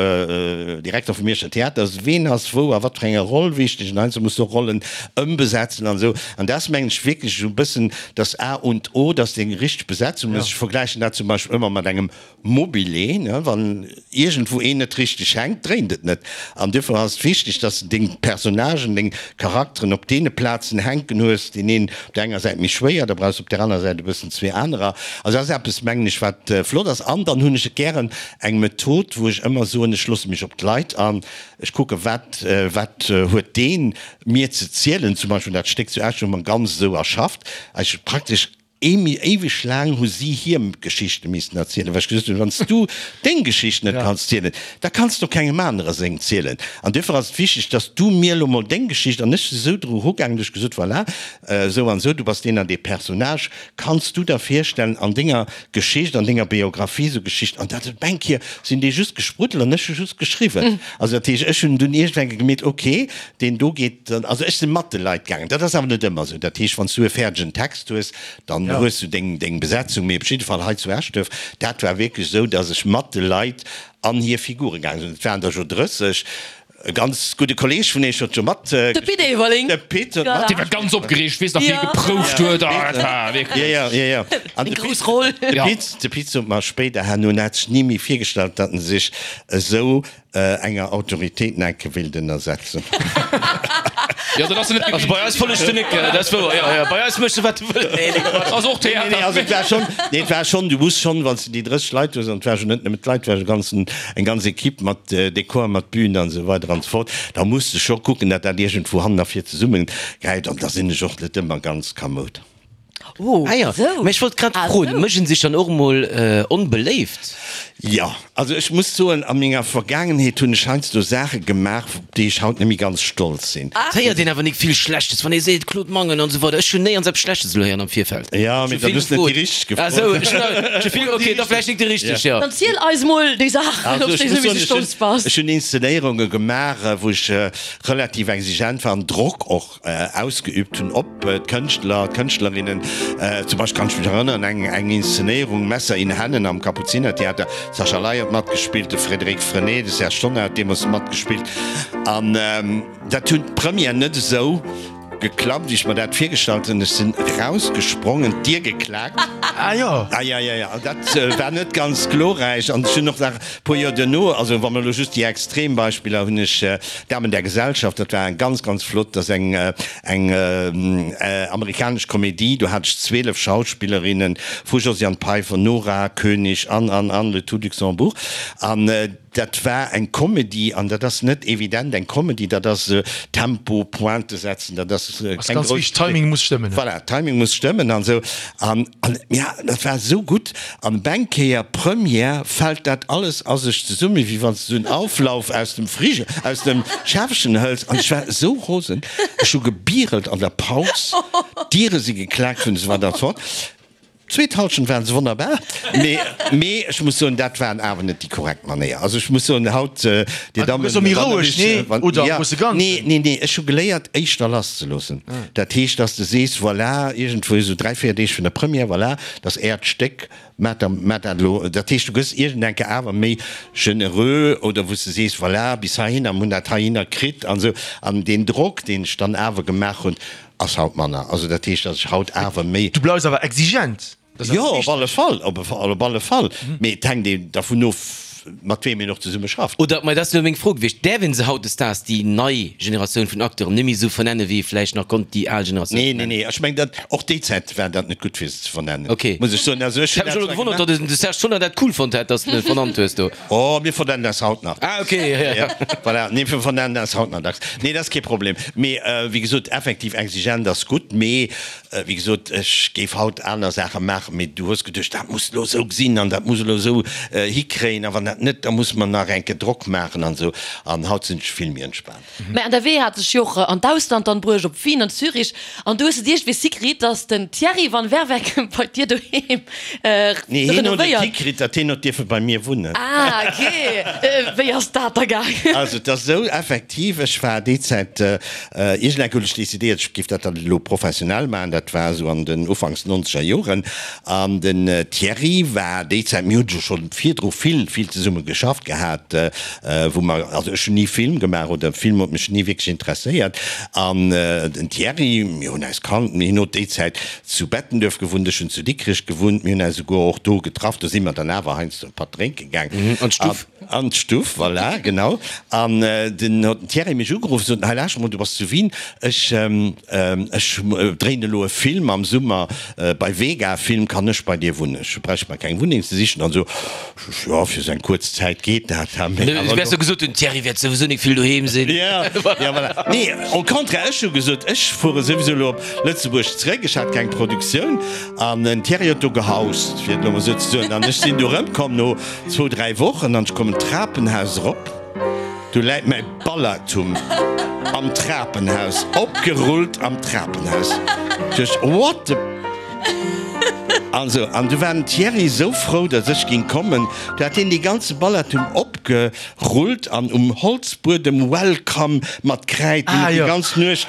Direkter vum Mierscher Theater ass, ween ass wou a wat fir enger Roll wichteg an heiansdo muss de och Rollen ëmbesetzen an esou. An dat ass mengen ech wierklech esou e bëssen das A und O, dass de eng richteg Besetzung hues. Ech vergläichen dat zum Beispill ëmmer mat engem Mobile, ne, wann iergendwou een net richteg hänkt, dréint et net. An duerfir ass et wichteg, dass de deng Personnagen, deng Charakteren op deene Plazen hänken hues, deen een op där enger Säit méi schwéier, da brauchs de op där aner Säit e bëssen zwee anerer. Also dat ass eppes, mengen ech, wat flott ass. An dann hunn ech et gären eng Method, wou ech ëmmer soen, ech loosse mech op d'Leit an, ech kucke wat, wat huet dee mir ze zielen. Zum Beispill dat Stéck zu Esch hu mer ganz esou erschafft, eigentlech praktesch Éiweg laang hu si hir Geschichte missten erzielen, well ech gesot hunn, Wann s du deng Geschicht net kanns zielen, da kanns de och kengem anere seng zielen. An duerfir ass et wichteg, dass du mir elo mol deng Geschicht, an ech si sou dru erugaangen, dass ech gesot, Voilà, esou an esou, du bass deen an dee Personnage, kanns du der virstellen, an denger Geschicht, an denger Biographie esou Geschichten, an dat huet eng Kéier sinn déi just gespruddelt an ech hu just geschriwwen. Also dat heescht, ech hunn dunn iergendwann gemeet, okay, deen do geet dann, also ech si mat de Leit gaangen. Dat ass awer net ëmmer esou. Dat heescht, wann s du e fäerdegen Text hues, dann hues du deng, deng Besetzung, mee op jidde Fall hei zu Eschduerf, dat war wierklech esou, dass ech mat de Leit an hir Figure gaange sinn. Et waren der jo drësseg. E ganz gudde Kolleeg vun iech huet jo mat. De Pit Everling. De Pit huet mat. Dee war ganz opgereegt, weess nach, wéi e geprouft huet. Ah, dat war wierklech. Jo, jo, jo, jo. An Eng de grouss Pit, Roll. de Pit, de Pit sot mer spéider herno, en hätt sech ni méi virgestallt, datt en sech esou enger Autoritéit enke wéilt ënnersetzen. Jo, dat ass net Also bei eis follegt de Nick, dat ass wouer. Jo, jo, bei eis méchs de wat de wëlls. Nee, nee, Quatsch. Ass och Nee, nee, Theater. also et war schonn, nee, et war schonn, du muss schonn, wann s de déi drësseg Leit hues, an et war jo net nëmmen d'Leit, et war jo ganzen, eng ganz Equipe mat Dekor, mat Bühn an esou weider an esou fort, da muss de scho kucken, datt dat iergendwou hannen a vir zesummegräift an da sinn ech och net ëmmer ganz kamoud. Oh, Ah ja, esou. mä ech wollt grad Ah, froen, esou. mécht en sech dann och emol onbeléift? Jo, also ech muss soen, a menger Vergaangenheet hunn ech heiansdo Saache gemaach, op déi ech haut net méi ganz stolz sinn. Et héiert een awer nik vill Schlechtes, wann ee seet Claude Mangen an esou weider. Ech hunn néierens eppes Schlechtes elo héieren am Virfeld. Jo, Ech mee hu dann vill hues de net déi gefrot. richteg Ah esou, gefrot. ech hunn ech hu vill, okay, da vläicht nik déi richteg, jo. Dann ziel eis mol déi Saachen, Also op ech déi muss du soen, méi ech stolz hunn, bass. ech hunn Inszenéierunge gemaach, wou ech relativ exigent war an Drock och ausgeübt hunn op d'Kënschtler, d'Kënschtlerinnen. Zum Beispill kann ech mech erënneren, eng eng Inszenéierung Messer in Händen am Kapuzinertheater, Sascha Ley huet matgespillt, de Frédéric Frenay, de Serge Tonnar huet deemools matgespillt an dat hunn d'Première net esou geklappt, wéi ech mer dat virgestallt hunn. Ech sinn erausgesprongen, d'Dier geklaakt. Ah jo. Ah ja, ja, ja, dat war net ganz glorräich. An ech hunn och nach e puer Joer duerno, also wa mer elo just déi extrem Beispiller hunn, ech Damen der Gesellschaft, dat war eng ganz, ganz flott, dat ass eng, eng amerikanesch Komedie, do hat ech zwielef Schauspillerinnen, vu Josiane Peiffer, Nora Koenig an, an, an, le tout Luxembourg. An dat war eng Komedie, an dat ass net evident, eng Komedie, dat ass Tempo, Pointe setzen, dat ass Ass keng ganz grouss. wichteg, Timing muss stëmmen. Voilà, Timing muss stëmmen an esou. An, an ja, dat war esou gutt. An op eng Kéier, Première, fält dat alles a sech zesummen, wéi wann s du en Auflauf aus dem Frige, aus dem Schäffchen hëls. An ech war esou rosen, ech hu gebierelt an der Paus, d'Diere si geklaakt hunn, esou weider an esou fort. D'zweet Halschent waren se wonnerbar, mee, mee ech muss soen, dat waren awer net déi korrekt Manéier. Also ech muss soen, haut, Dir Ah, du Dammen, gëss och méi wann der roueg, mech, nee? wann, Oder ja, am grousse Ganzen? nee, nee, nee, ech hu geléiert, éischter lasszeloossen. Dat heescht, dass de sees, voilà, iergendwou esou dräi, véier Deeg vun der Première, voilà, dat ass Äert Stéck, maacht der, maacht dat elo. Dat heescht, du gëss iergendenke awer méi genereux oder wou s de sees, voilà, bis heihinner, mir hunn dat heihinner kritt an esou. An deen Drock, deen ech dann awer gemaach hunn, Ass haut manner. Also dat heescht, dass ech haut awer méi. Du bleifs awer exigent. Jo, op alle Fall, op alle Fall. Mee et hänkt een dervun of, mat weem een och zesumme schafft. Oder, mä dat ass elo meng Fro gewiescht, däerf ee se hautdesdaags, déi nei Generatioun vun Acteuren, net méi esou vernennen, wéi ee vläicht nach konnt déi al Generatioun Nee, nee, nee. Ech mengen, dat, och déi Zäit war dat net gutt, fir se ze vernennen, Okay. muss ech soen. Also ech Ech hunn hat dat mech elo zwar gewonnert, gemaach. datt de Serge Tonnar dat cool fonnt hätt, datt s de en vernannt hues do. Oh, mir vernennen eis haut nach. Ah, okay, ja, ja. Voilà, nee, mir vernennen eis haut nach dacks. Nee, dat ass kee Problem. Mee, wéi gesot, effektiv, exigent ass gutt, mee, wéi gesot, ech géif haut aner Saache maachen, mee du hues geduecht, dat muss elo esou sinn an dat muss elo esou hikréien a wann dat net, da muss mer nach eng Kéier Drock maachen an esou. An haut sinn ech vill méi entspaant. Mä an der Wee hat sech jo och an d'Ausland dann bruecht, op Wien an Zürich, an do hues de d'iergendwéi hikritt, dass den Thierry van Werveke bei dir doheem Nee, hien huet et renovéiert. hikritt, datt hien huet dierfe bei mir wunnen. Ah, ok. Wéi ass dat da gaangen? Also et ass esou, effektiv, ech war déi Zäit, iergendeng hunn ech decidéiert, ech géif dat dann elo professionell maachen, dat war esou an den ufanks nonzeger Joren, an den Thierry war déi Zäit, mir hunn jo scho virdru vill, vill zesumme geschafft gehat, wou mer, also ech hunn ni Film gemaach oder Film huet mech ni wierklech interesséiert, an den Thierry, mir hunn eis kannt, mir hien huet déi Zäit zu Bettenduerf gewunnt, ech hunn zu Dikrech gewunnt, mir hunn eis esouguer och do getraff, do si mer dann awer heiansdo e Patt drénke gaang. An d'Stuff. An d'Stuff, voilà, genau. An dunn huet den Thierry mech ugeruff, sot, Hei lauschter mol, du bass zu Wien, ech, ech dréinen elo e Film am Summer bei Vega Film, kann ech bei dir wunnen? Ech bräicht mer keng Wunneng ze sichen an esou. Ech, jo, fir esou eng kuerz Zäit geet dat. Du wäers jo gesot hunn, Thierry wäert souwisou nik vill doheem sinn. Jo, jo, voilà. Nee, au contraire, ech hu gesot, ech fuere souwisou elo op Lëtzebuerg zeréck, ech hat keng Produktioun. An den Thierry huet do gehaust, fir et elo mol esou ze soen. An ech sinn do erëmkomm no zwou, dräi Wochen an ech kommen d'Trapenhaus erop, do läit mäi Ballatum am Trapenhaus, opgerullt am Trapenhaus. Ech duecht, What the. An esou. An du war den Thierry esou frou, datt ech ging kommen, du hat hien dee ganze Ballatum opgerullt an um Holzbuedem Welcome mat Kräid, hien huet déi ganz Nuecht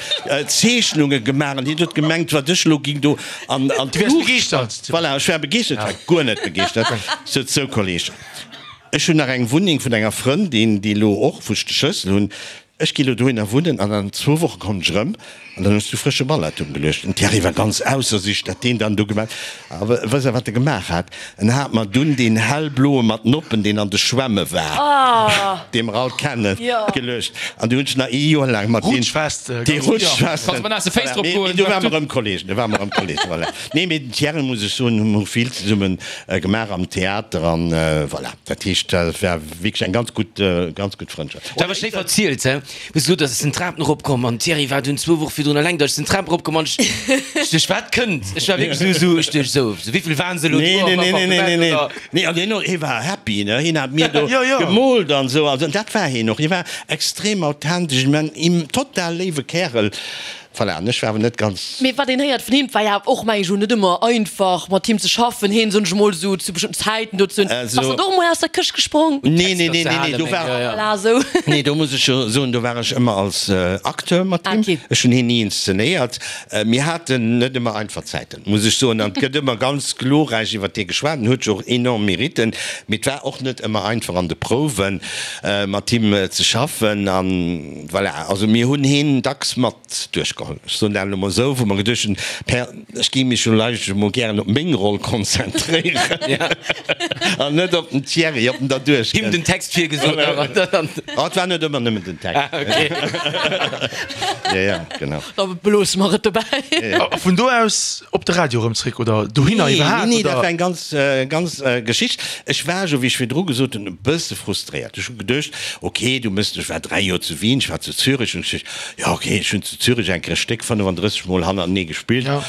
Zeechnunge gemaach an hien huet gemengt, wat ech elo ging do an d'Luucht. Voilà, ech war begeeschtert, ech war guer net begeeschtert. Sot, Sou Kolleg, ech hunn nach eng Wunneng vun enger Frëndin, déi elo och, wou ech de Schlëssel hunn, ech gi lo dohinner wunnen an an zwou Woche kommen ech erëm an dann hues du frësche Ballatum geluecht. Den Thierry war ganz ausser sech, dat deen dann do gemaach. A wësst der, wat e gemaach hat? En hat mer dunn deen hellbloe mat Noppen, deen an de Schwämme war, dee mer all kennen, geluecht. An du hunn ech nach ee Joer laang mat deem. Rutschfest, Dee Rutschfest. Kanns mat naasse Féiss drop Mee goen. do ware mer erëm Kollegen, do ware mer erëm Kollegen, voilà. Nee, mee den Thierry, muss ech soen, hu mer vill zesumme gemaach am Theater an voilà. Dat heescht, dat war wierklech eng ganz gutt, ganz gutt Frëndschaft. Dat war schéi verzielt, he? Hues gesot, dass ech sinn d'Trapen eropkomm an d'Thierry war dunn zwou Woche virdrun eleng da. Ech sinn d'Trap eropkomm an ech ech duecht, wat kënnt? Ech war wierklech esou, esou, ech duecht esou, esou, wéivill waren se elo Nee, do nee, am nee, nee, nee, Appartement nee, oder? nee, an hien, hie war happy, ne? Hien hat mir do Jo, jo. gemoolt an esou, also dat war hien och. Hie war extrem authentesch, ech mengen, en total léiwe Kärel. Voilà, an ech war awer net ganz. Mee wat een héiert vun him, 't war jo och, meng ech, net ëmmer einfach mat him ze schaffen, hien, soen ech emol, esou zu bestëmmten Zäiten do ze hunn. Bass Also. de och emol aus der Këscht gesprong? Nee, nee, Texter nee, ze nee, nee, halen, do meng, war. jo, jo. Voilà, esou. Nee, do muss ech jo soen, do war ech ëmmer als Acteur mat Ah, him. okay. Ech hunn hien ni inszenéiert. Mir haten net ëmmer einfach Zäiten, muss ech soen. An et gëtt ëmmer ganz glorräich iwwer hie geschwat. En huet jo och enorm Meritten. Mee et war och net ëmmer einfach an de Prouwen mat him ze schaffen. An voilà, also mir hunn hien dacks mat duerchgeholl. Ech soen dat elo mol esou, wou mer geduecht hunn, Per, ech géing mech jo eigentlech emol gären op meng Roll konzentréieren an net op den Thierry, ob en da duerchkënnt. Him den Text virgesot an dann. Oh, et war net ëmmer nëmmen den Text. Ah, okay. Ja, ja, genau. Da beloosse mer et dobäi. A vun do aus op de Radio erëm zréck oder dohinner Nee, iwwerhaapt? nee, nee, dat oder? war eng ganz, ganz Geschicht. Ech war jo, wéi ech virdru gesot hunn, e bësse frustréiert. Ech hu geduecht, okay, du mëss, ech war dräi Joer zu Wien, ech war zu Zürich, hunn ech geduecht, jo, okay, ech hunn zu Zürich eng Kéier e Stéck fënnefanddrësseg Mol hannertenee gespillt. Ja.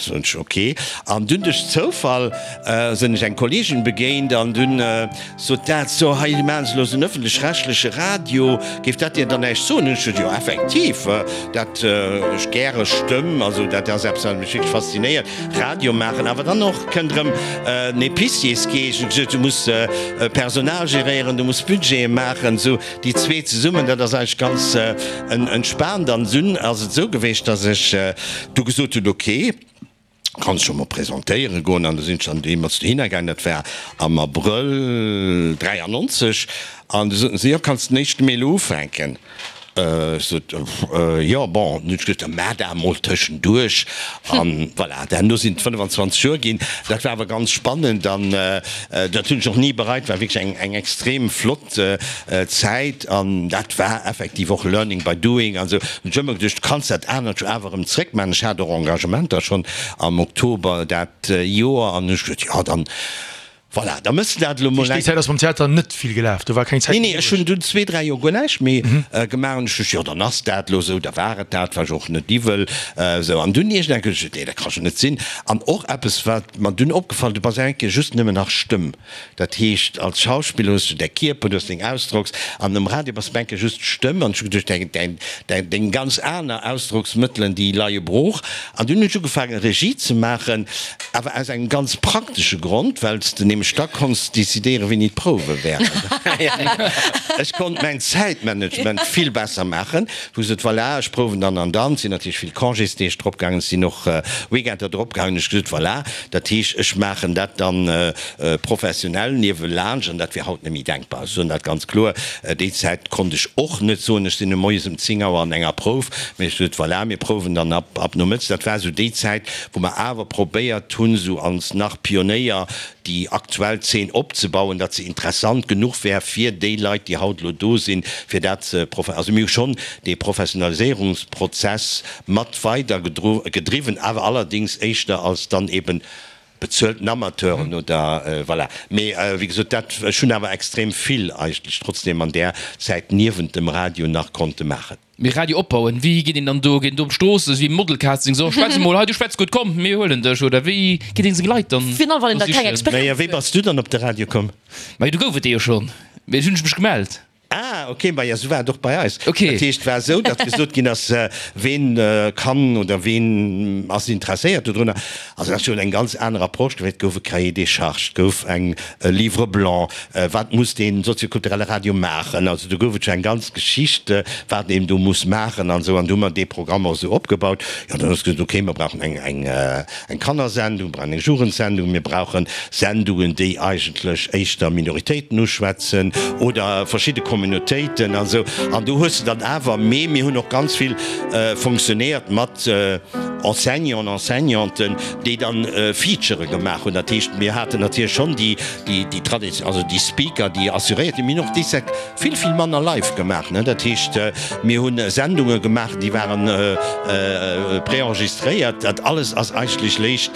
Soen ech, ok. An dunn duerch Zoufall sinn ech eng Kolleegin begéint an dunn sot dat, so hei maachen se elo esou en ëffentlech-rechtleche Radio, géif dat dir dann näischt soen? Hunn ech gesot, jo effektiv, dat ech gäre Stëmm, also dat ass eppes wat mech wierklech faszinéiert, Radio maachen. Awer dann och kënnt erëm en Épiciersgeescht, hunn ech gesot, du muss Personal geréieren, du muss Budgete maachen, esou déi zwee zesummen, dat ass eigentlech ganz entspaant. An dunn ass et esou geweecht, datt ech du gesot hunn, ok, kanns scho mol presentéiere goen. An du sinn ech dann deemools dohinner gaangen, dat war am Abrëll dräiannonzeg, an du soten se, jo, kanns den éischte Mee elo ufänken. Ech sot, Jo, bon, dann hunn ech gesot, da maach dat emol tëschenduerch. An voilà, herno sinn et fënnefan zwanzeg Joer ginn. Dat war awer ganz spannend an dat hunn ech och ni bereit, war wierklech eng, eng extrem flott Zäit an dat war effektiv och learning by doing an esou. Hunn ech ëmmer geduecht, du kanns dat anert jo awer erëm zréckmaachen. Ech hat och Engagementer schonn am Oktober dat Joer an hunn ech gesot, jo, dann, Voilà, da mëss de dat elo mol eng. Déi Zäit ass mam Theater net vill gelaf, do war keng Zäit méi. Nee, nee, ech hunn dunn zwee, dräi Joer guer näischt méi gemaach an ech duecht, jo, dann ass dat elo esou, da war et dat, war jo och net iwwel esou. An dunn iergendeng Kéier hunn ech geduecht, nee, dat ka jo net sinn. An och eppes, wat mer dunn opgefall, du bass eng Kéier just nëmmen nach Stëmm. Dat heescht, als Schauspiller hues du däi Kierper, du hues deng Ausdrocks, an um Radio bass du eng Kéier just d'Stëmm. An ech hu geduecht, däin, däin, däin, deng ganz aner Ausdrocksmëttelen, déi leie brooch. An dunn hunn ech ugefaangen, Regie ze maachen. Awer aus engem ganz praktesche Grond, well s de nämlech da konns decidéieren, wéini d'Prouwe wären. Ech konnt mäin Zäitmanagement vill besser maachen, wou gesot, voilà, ech prouwen dann an dann. Et sinn natierlech vill Congésdeeg dropgaangen, et sinn och Weekender dropgaangen. Ech gesot, voilà, dat heescht, ech maachen dat dann professionell niewelaanscht an dat wier haut net méi denkbar. Ech soen dat ganz kloer. Déi Zäit konnt ech och net soen, ech sinn e moies ëm zéng Auer an enger Prouf, mee ech gesot, voilà, mir prouwen dann ab ab nomëttes. Dat war esou déi Zäit, wou mer awer probéiert hunn, esou als nach Pionéier déi aktuell Zeen opzebauen, datt se interessant genuch wär fir déi Leit, déi haut elo do sinn, fir dat ze profe-. Also mir hu schonn dee Professionaliséierungsprozess mat weider gedriwwen, awer allerdéngs éischter als dann eben bezuelten Amateuren oder voilà. Mee wéi gesot, dat, ech hunn awer extrem vill eigentlech trotzdem an där Zäit niewent dem Radio nach konnte maachen. Mee Radio opbauen, wéi geet een dann do? Geet een do op d'Strooss, esou wéi Modelcasting, so schwätz emol, hei du schwätz gutt, komm mir huelen dech, oder wéi geet een seng Leit dann Virun allem wann een do da keng sichen? Experienz Naja, wéi huet. bass du dann op de Radio komm? Majo, do gouf et dee jo schonn, mee ech hunn mech gemellt. Ah, ok, maja, esou war et och bei eis. Ok. Dat heescht, et war esou, datt gesot ginn ass, ween kann oder ween ass interesséiert dodrunner. Also dat ass jo eng ganz aner Approche gewiescht. Et gouf e Cahier des charges, et gouf eng e Livre blanc, wat muss dee soziokulturelle Radio maachen? Also do gouf et jo eng ganz Geschicht, wat een do muss maachen an esou. An du hu mer dee Programm och esou opgebaut. Jo, dann ass gesot, okay, mer brauchen eng, eng, eng Kannersendung, mir brauchen eng Jugendsendung, mir brauche Sendungen, déi eigentlech éischter Minoritéiten uschwätzen oder verschidde Communautéiten an esou. An do hues de dann awer, mee mir hunn och ganz vill fonctionnéiert mat Enseignants, Enseignanten, déi dann Featurë gemaach hunn. Dat heescht, mir haten natierlech schonn déi, déi Tradition, also déi Speaker, déi assuréiert hunn. Mir hunn och déi Zäit vill, vill manner live gemaach, ne. Dat heescht, mir hu Sendunge gemaach, déi waren préenregistréiert. Dat alles ass eigentlech léischt,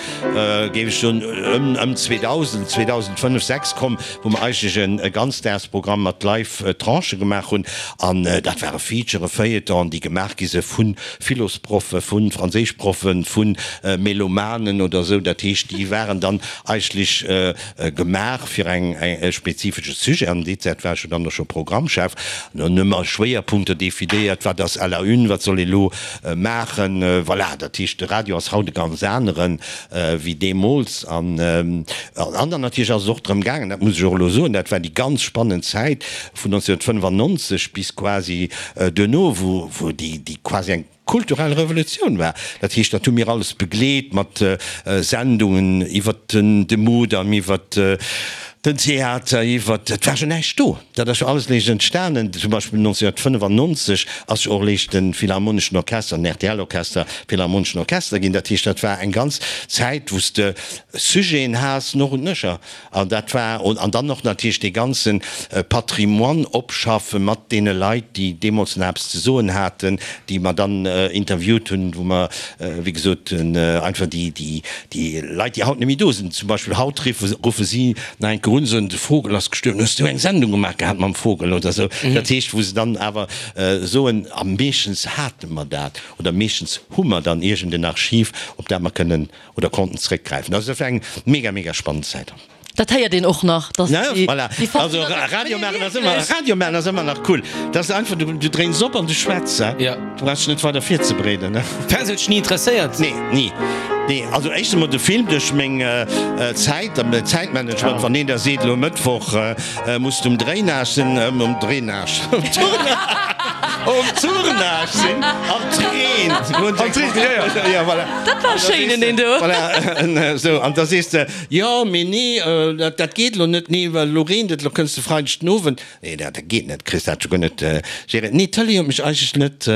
géif ech soen, ëm, ëm zweedausend, zweedausendfënnef, sechs komm, wou mer eigentlech e Ganzdagsprogramm mat Live-Tranchë gemaach hunn. An dat ware Featurë, Feuilletonen, déi gemaach gi si vu Philosproffe, vu Franséischproffen, vu Melomanen oder esou. Dat heescht, déi waren dann eigentlech gemaach fir eng e spezifesche Sujet. An déi Zäit war ech jo dann och scho Programmchef. An dann hu mer Schwéierpunkter definéiert, wat ass à la une, wat soll ee lo maachen. Voilà, dat heescht, de Radio ass haut e ganz anere wéi deemools. An an dann natierlech ass et och drëm gaangen, dat muss ech och elo soen, dat war déi ganz spannend Zäit vun neunzehnhundertfënnefannonzeg bis quasi duerno, wou wou déi déi quasi eng kulturell Revolutioun war. Dat heescht, dat hu mir alles begleet mat Sendungen iwwert de Mudam, iwwert den Theater, iwwert, et war jo näischt do, dat ass jo alles léischt entstanen. Zum Beispill neunzehnhundertfënnefannonzeg ass jo och léischt de Philharmoneschen Orchester, den R T L-Orchester, Philharmoneschen Orchester ginn. Dat heescht, dat war eng ganz Zäit, wou s de Sujeten has noch und nöcher. An dat war, an dann och natierlech dee ganze Patrimoine opschaffe mat deene Leit, déi deemools nach eppes ze soen haten, déi mer dann interviewt hunn, wou mer, wéi gesot, einfach déi, déi, déi Leit, déi haut net méi do sinn, zum Beispill haut riffe, ruffe si nach eng Kéier un, soen, de Vogel ass gestuerwen, hues du eng Sendung gemaach gehat mam Vogel oder esou. Dat heescht, wou se dann awer soen, a meeschtens hate mer dat oder meeschtens hu mer dann iergend en Archiv, op dat mer kënnen oder konnten zréckgräifen. Also dat war eng mega, mega spannend Zäit. Dat héiert een och nach, dass déi Voilà. Also Radio maachen ass ëmmer, Radio maachen ass ëmmer nach cool. Dat ass einfach, du, du dréins op an du schwätz, he? Ja. Du brauchs dech net weider virzebereeden, he? Fernseh huet dech ni interesséiert? Nee, ni. Nee, also éischt emol de Film duerch meng Zäit an Zäitmanagement, wann een da seet, elo Mëttwoch muss de um Drainage sinn, um Drainage, um Tournage. Um Tournage sinn an et reent. An et reent, jo, jo. Ja, voilà. Dat war schéin en deen do. Voilà, esou. An da sees de, jo, mee nee, dat, dat geet elo net, nee, well elo reent et, elo kënns de Freideg den Owend. Nee, dat, dat geet net, kriss dat scho guer net géréiert. Nee, d'Tëlee huet mech eigentlech net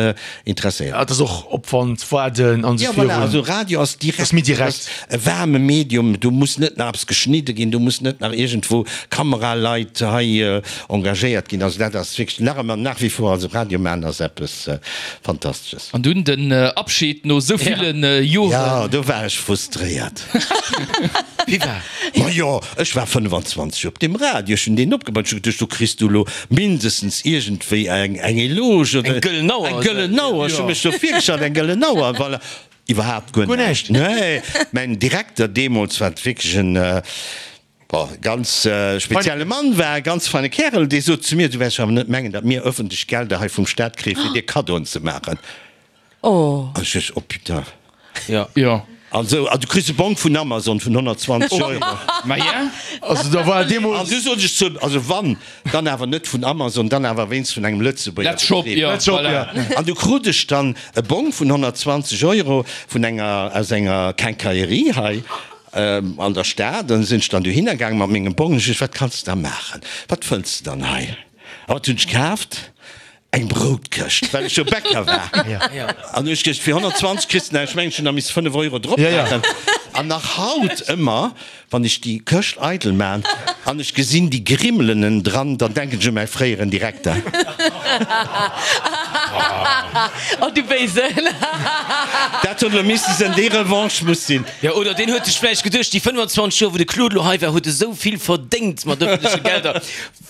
interesséiert. Ja, et ass och Opwand, Waarden an esou Ja, voilà, virun. also Radio ass direkt, Ass méi direkt. e waarme Medium, do muss net nach eppes geschnidde ginn, do muss net nach iergendwou Kameraleit hei engagéiert ginn. Also dat ass wierklech nach ëmmer, nach wie vor, also Radio maachen ass eppes Fantastesches. An dunn den Abschied no esou ville Joren. Jo, do war ech frustréiert. Wéi war? Ma jo, ech war fënnfanzwanzeg Joer op deem Radio, ech hunn deen opgebaut, ech hu geduecht, do kriss du elo mindestens iergendwéi eng eng Eloge oder Eng gëllen Auer. Eng gëllen Auer, ech hu mech do virgestallt, eng gëllen Auer, voilà. Iwwerhaapt guer Guer näischt. näischt. Nee, mäin Direkter deemools, wat wierklech en, bon, ganz spezielle Mann war, e ganz feine Kärel, dee sot zu mir, Du wäers jo awer net mengen, datt mir ëffentlech Gelder hei vum Staat kréie fir dir Kaddoen ze maachen. Oh. An ech duecht, Oh putain. Jo. Jo. An esou, an du kriss e Bong vun Amazon vun honnertzwanzeg Euro. Ma ja. Also da war An deemools. du sot ech zu him, also wann, dann awer net vun Amazon, dann awer wéinst vun engem Lëtzebuerger Let's shop, Betrib. jo, Let's shop, voilà. ja. An du krut ech dann e Bong vun honnertzwanzeg Euro vun enger, aus enger Quincaillerie hei an der Stad. An sinn ech dann dohinner gaangen mat mengem Bong. Ech sot, wat kanns de da maachen? Wat fënns de dann hei? A wat hunn ech kaaft? Eng Broutkëscht, well ech jo Bäcker war. An hu ech geduecht, fir honnertzwanzeg kriss de näischt, ech mengen, ech hunn da misste fënnef Euro drop maachen. An nach haut ëmmer, wann ech déi Këscht eidel maan an ech gesinn déi Grimmelen ënnendran, dann denken ech u mäi fréieren Direkter. Oh du Béisen! Dat huet elo misste sinn, déi Revanche muss sinn. Jo, oder deen huet sech vläicht geduecht, déi fënnfanzwanzeg Joer, wou de Claude elo hei war, huet e sou vill verdéngt mat ëffentleche Gelder,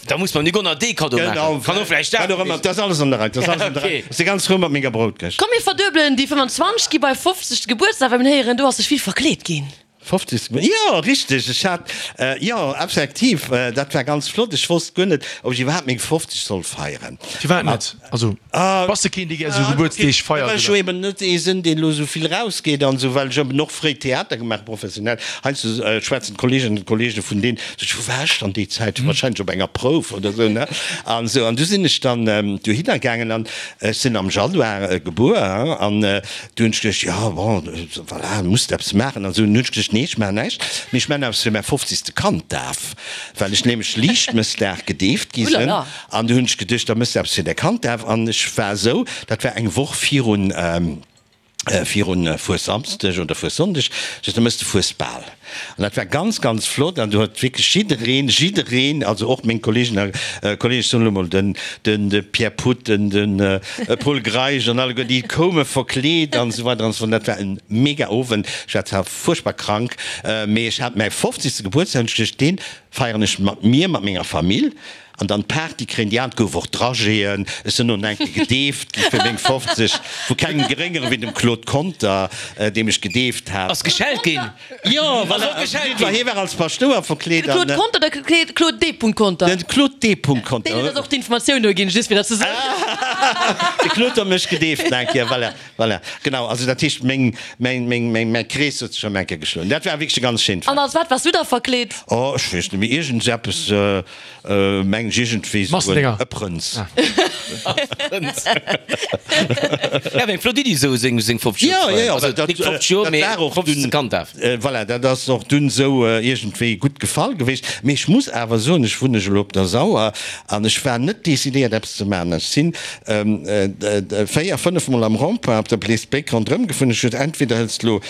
da muss mer Nick och nach dee Kaddo maachen. Kann och vläicht dat Wat och ëmmer, gewiescht dat ass alles an der Rei, dat ass alles an der Rei. Okay. Ass de ganz frou mat menger Broutkëscht. Komm mir verduebelen déi fënnfanzwanzeg, gi bei fofzeg Gebuertsdag, well mir héieren, du has dech vill verkleet ginn. Fofzeg, jo, richteg, ech hat, jo, effektiv, dat war ganz flott. Ech wosst guer net, ob ech iwwerhaapt meng fofzeg soll feieren. Firwat net? Also, bass de keen, dee gär esou Gebuertsdeeg feiert, Well ech oder? jo eben net ee sinn, deen elo esou vill rausgeet an esou, well ech eben och fréi Theater gemaach, professionell. Heiansdo schwätzen d'Kolleeginnen an d'Kolleege vun deen, sot ech, wou war ech dann déi Zäit? Wahrscheinlech op enger Prouf oder esou, ne? An esou, an du sinn ech dann dohinner gaangen an ech sinn am Januar gebuer, hein, an du hunn ech geduecht, jo, bon, voilà, muss de eppes maachen an esou. An du hunn ech geduecht, nee, ech maachen näischt, mee ech maachen eppes fir mäi fofzegste Kanddaf, well ech nämlech Liichtmëssdag gedeeft gi sinn. An du hunn ech geduecht, da méchs de eppes fir däi Kanddaf. An ech war esou, dat war eng Woch virun, virun Fuessamsdeg oder Fuessonndeg, sech da mëss de Fuesbal. An dat war ganz, ganz flott an do huet wierklech jiddereen, jiddereen, also och meng Kolleegen a Kolleegen, ech soen elo mol den, den de Pierre Putten, den Pol Greisch an alleguer, déi koume verkleet an esou weider an esou fort. Dat war e mega Owend. Ech war zwar fuerchtbar krank, mee ech hat mäi fofzegste Gebuertsdag an ech duecht, dee feieren ech mat mir, mat menger Famill. An dann d'Party kréien déi aner, et gouf och Dragéeën, ech sinn och eng Kéier gedeeft gi fir meng fofzeg, vu kengem geréngere wéi dem Claude Conter, dee mech gedeeft hat. Ass geschellt ginn? Jo, Ass och geschellt ginn? Hie war als Paschtouer verkleet. De Claude Conter oder de Claude D. Conter? Den Claude D. Conter. Deen huet eis och d'Informatioun do ginn, just fir dat ze soen. De Claude huet mech gedeeft eng Kéier, voilà, voilà. Genau, also dat heescht, meng, meng, meng, meng, mäi Krees huet sech erëm eng Kéier geschloen. Dat war wierklech e ganz schéint An Fest. als wat waars du da verkleet? Oh, ech weess net méi, iergendseppes, Mengen ech iergendwéi esou Massendinger. e Prënz. Ja, eng flott Iddi esou seng seng fofzeg Ja, Joer ja, ja, also dat, nik fofzeg Joer, dat mee war och fofzegste dunn, Kanddaf. voilà, dat ass och dunn esou iergendwéi gutt gefall gewiescht. Mee ech muss awer soen, ech wunnen elo op der Sauer an ech war net decidéiert eppes ze maachen. Ech sinn véier, fënnef Mol am Rond-point op der Bleesbéck ronderëm gefuer. Ech huet entweder hëls de elo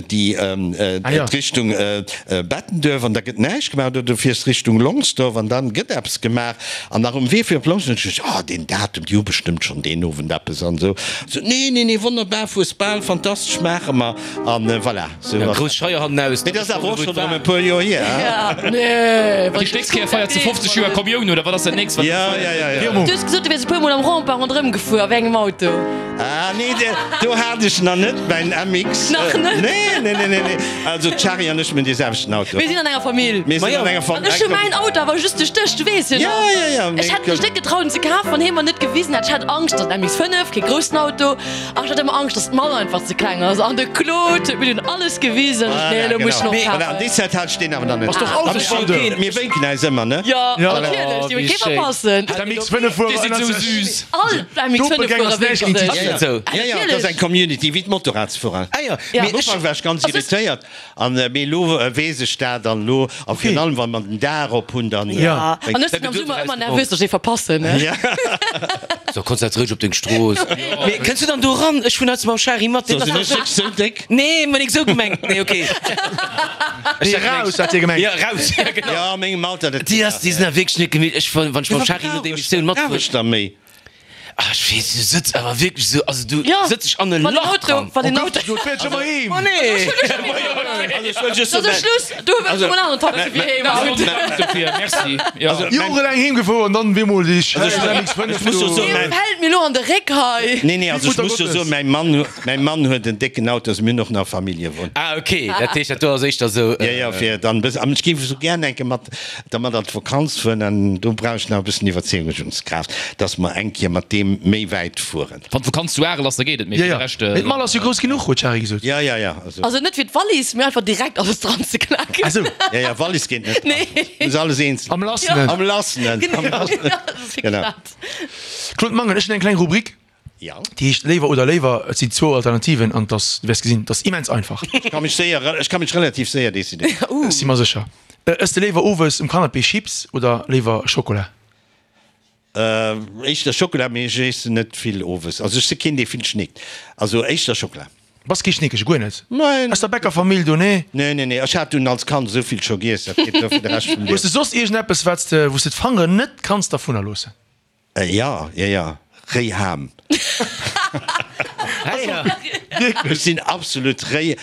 déi d'Richtung Bettenduerf an da gëtt näischt gemaach oder du fiers Richtung Longsdorf an dann gëtt eppes gemaach. An nach um Wee fir op Longsdorf hunn ech geduecht, ah deen Datum, déi hu bestëmmt schonn deen Owend eppes an esou. Sot, nee, nee, nee, wonnerbar, Fuesbal, fantastesch, maache mer. An voilà, sou Ja, ass grouss dat. Scheier hannenaus, Mee dat ass awer och schonn erëm e puer Joer hier, hein? Ja, nee, Déi nächst Kéier feiert se fofzeg Joer Kommioun, oder wat ass dat nächst, wat Ja, ja, ja, ja. Du hues gesot, du wiers e puer Mol am Rond-point ronderëm gefuer. A wéi engem Auto? Ah nee, do hat ech nach net mäin M X. Nach net? Nee, nee, nee, nee, nee. Also d'Shari an ech, mir hunn dee selwechten Auto. Mir sinn an enger Famill. Mir sinn an enger Famill. An ech hu mäin Auto awer just duerch dech, du weess jo nach. Ja, ja, ja. Ech hätt mech net getraut en ze kafen, wann hie mer net gewisen hätt. Ech hat Angscht, datt M X fënnef, kee groussen Auto, an ech hat ëmmer Angscht, datt d'Mall einfach ze kleng ass. An de Claude huet mir dunn alles gewisen. Ech, nee, elo muss ech en och Voilà, kafen. an déi Zäit hat ech deen awer nach net. Ass doch Autosfondeur. Mir wénken äis ëmmer, ne? Ja, Ja. natierlech, déi wéi wëll kee schéin. verpassen. M X fënnef fuere Déi sinn ënnert sou sech. süß. All M X fënnef Doppelgänger fuere Snatch wénken géint sech. déi. Ja, ja. Esou. Ja, ja, dat ass eng Community, wéi d'Motorradsfuerer. Ah ja, Ja. mee Am ech, Ufank war ech ganz Also es- irritéiert, an mee elo weess ech dat an elo, a virun allem wa mer den Dag op hunn, dann. Ja. Ja. An ech sinn am Summer ëmmer nervös, datt ech ee verpassen, ne? Ja. So, konzentréier dech op deng Strooss. Mee kënns du dann do ran? Ech fueren haut mam Shari mat. So, sinn ech wierklech sou déck? Nee, ma nik sou gemengt. Nee, okay. Nee, raus, hat hie gemengt. Ja, raus. Ja, genau. Ja, a mengem Alter, dat. Déi ass, déi sinn awer wierklech net gemeet. Ech, wann ech mam Shari no der Emissioun Brauch matfueren. ech da méi? Ah, ech weess, du sëtz awer wierklech sou, also du Ja, sëtz dech an e wann den Lach Auto, dran. wann den Oh Auto. Gott, du fäerts ëmmer heem. Oh nee! Dat ass e Schluss, du hues emol aneren Taxi fir heem haut. Dofir, merci. Ja. Jorelaang heem gefuer an dann bemol déi scheiss M X fënnef ech muss jo do. soen, Dee mäin- fält mir lo an de Réck hei. Nee, nee, also ech Mutter muss jo Gottes. soen, mäi Mann, mäi Mann huet en décken Auto, also mir hunn och nach Familljewon. Ah, okay, dat heescht, dat do ass éischter sou. Ja, ja, fir dann e bëssen, an ech géif esou gär eng Kéier mat, dermat an d'Vakanz fueren, an do brauch ech nach e bëssen Iwwerzeegungskraaft, dass mer eng Kéier mat deem méi wäit fueren. Wann d'Vakanz zu Arel ass, da geet et, mee Ja, fir ja. de Rescht. Mee d'Mall ass jo grouss genuch, huet d'Shari gesot. Ja, ja, ja, also. Also net fir d'Wallis, mee einfach direkt alles dran ze klacken. Ah sou. Ja, ja, Wallis geet net dran. Nee. Muss alles eenzel. Am Lassenen. Am Lassenen. Genau. Am Lassenen. Ja, dat ass wierklech Genau. dat. Claude Mangen, ech hunn eng kleng Rubrik, Ja. déi heescht Léiwer oder léiwer. Et sinn zwou Alternativen an dass, du wäers gesinn, dat ass immens einfach. Ech ka mech séier, ech ka mech relativ séier decidéieren. Ech si mer sécher. Ëss de léiwer owes um Canapé Chips oder léiwer Schokola? Éischter Schokola, mee ech iessen net vill owes. Also ech si keen, dee vill schnéckt. Also éischter Schokola. Bass kee Schnéckege, guer net? Nein. Aus der Bäckerfamill do, nee? Nee, nee, nee, ech hat dunn als Kand esou vill scho giess, dat geet duer fir de Rescht vum Hues Liewen. de soss iergendeppes, wat s de, wou s de d'Fangeren net kanns dervunner loossen? Ja, ja, ja, réi Ham. Ech sinn absolut réi,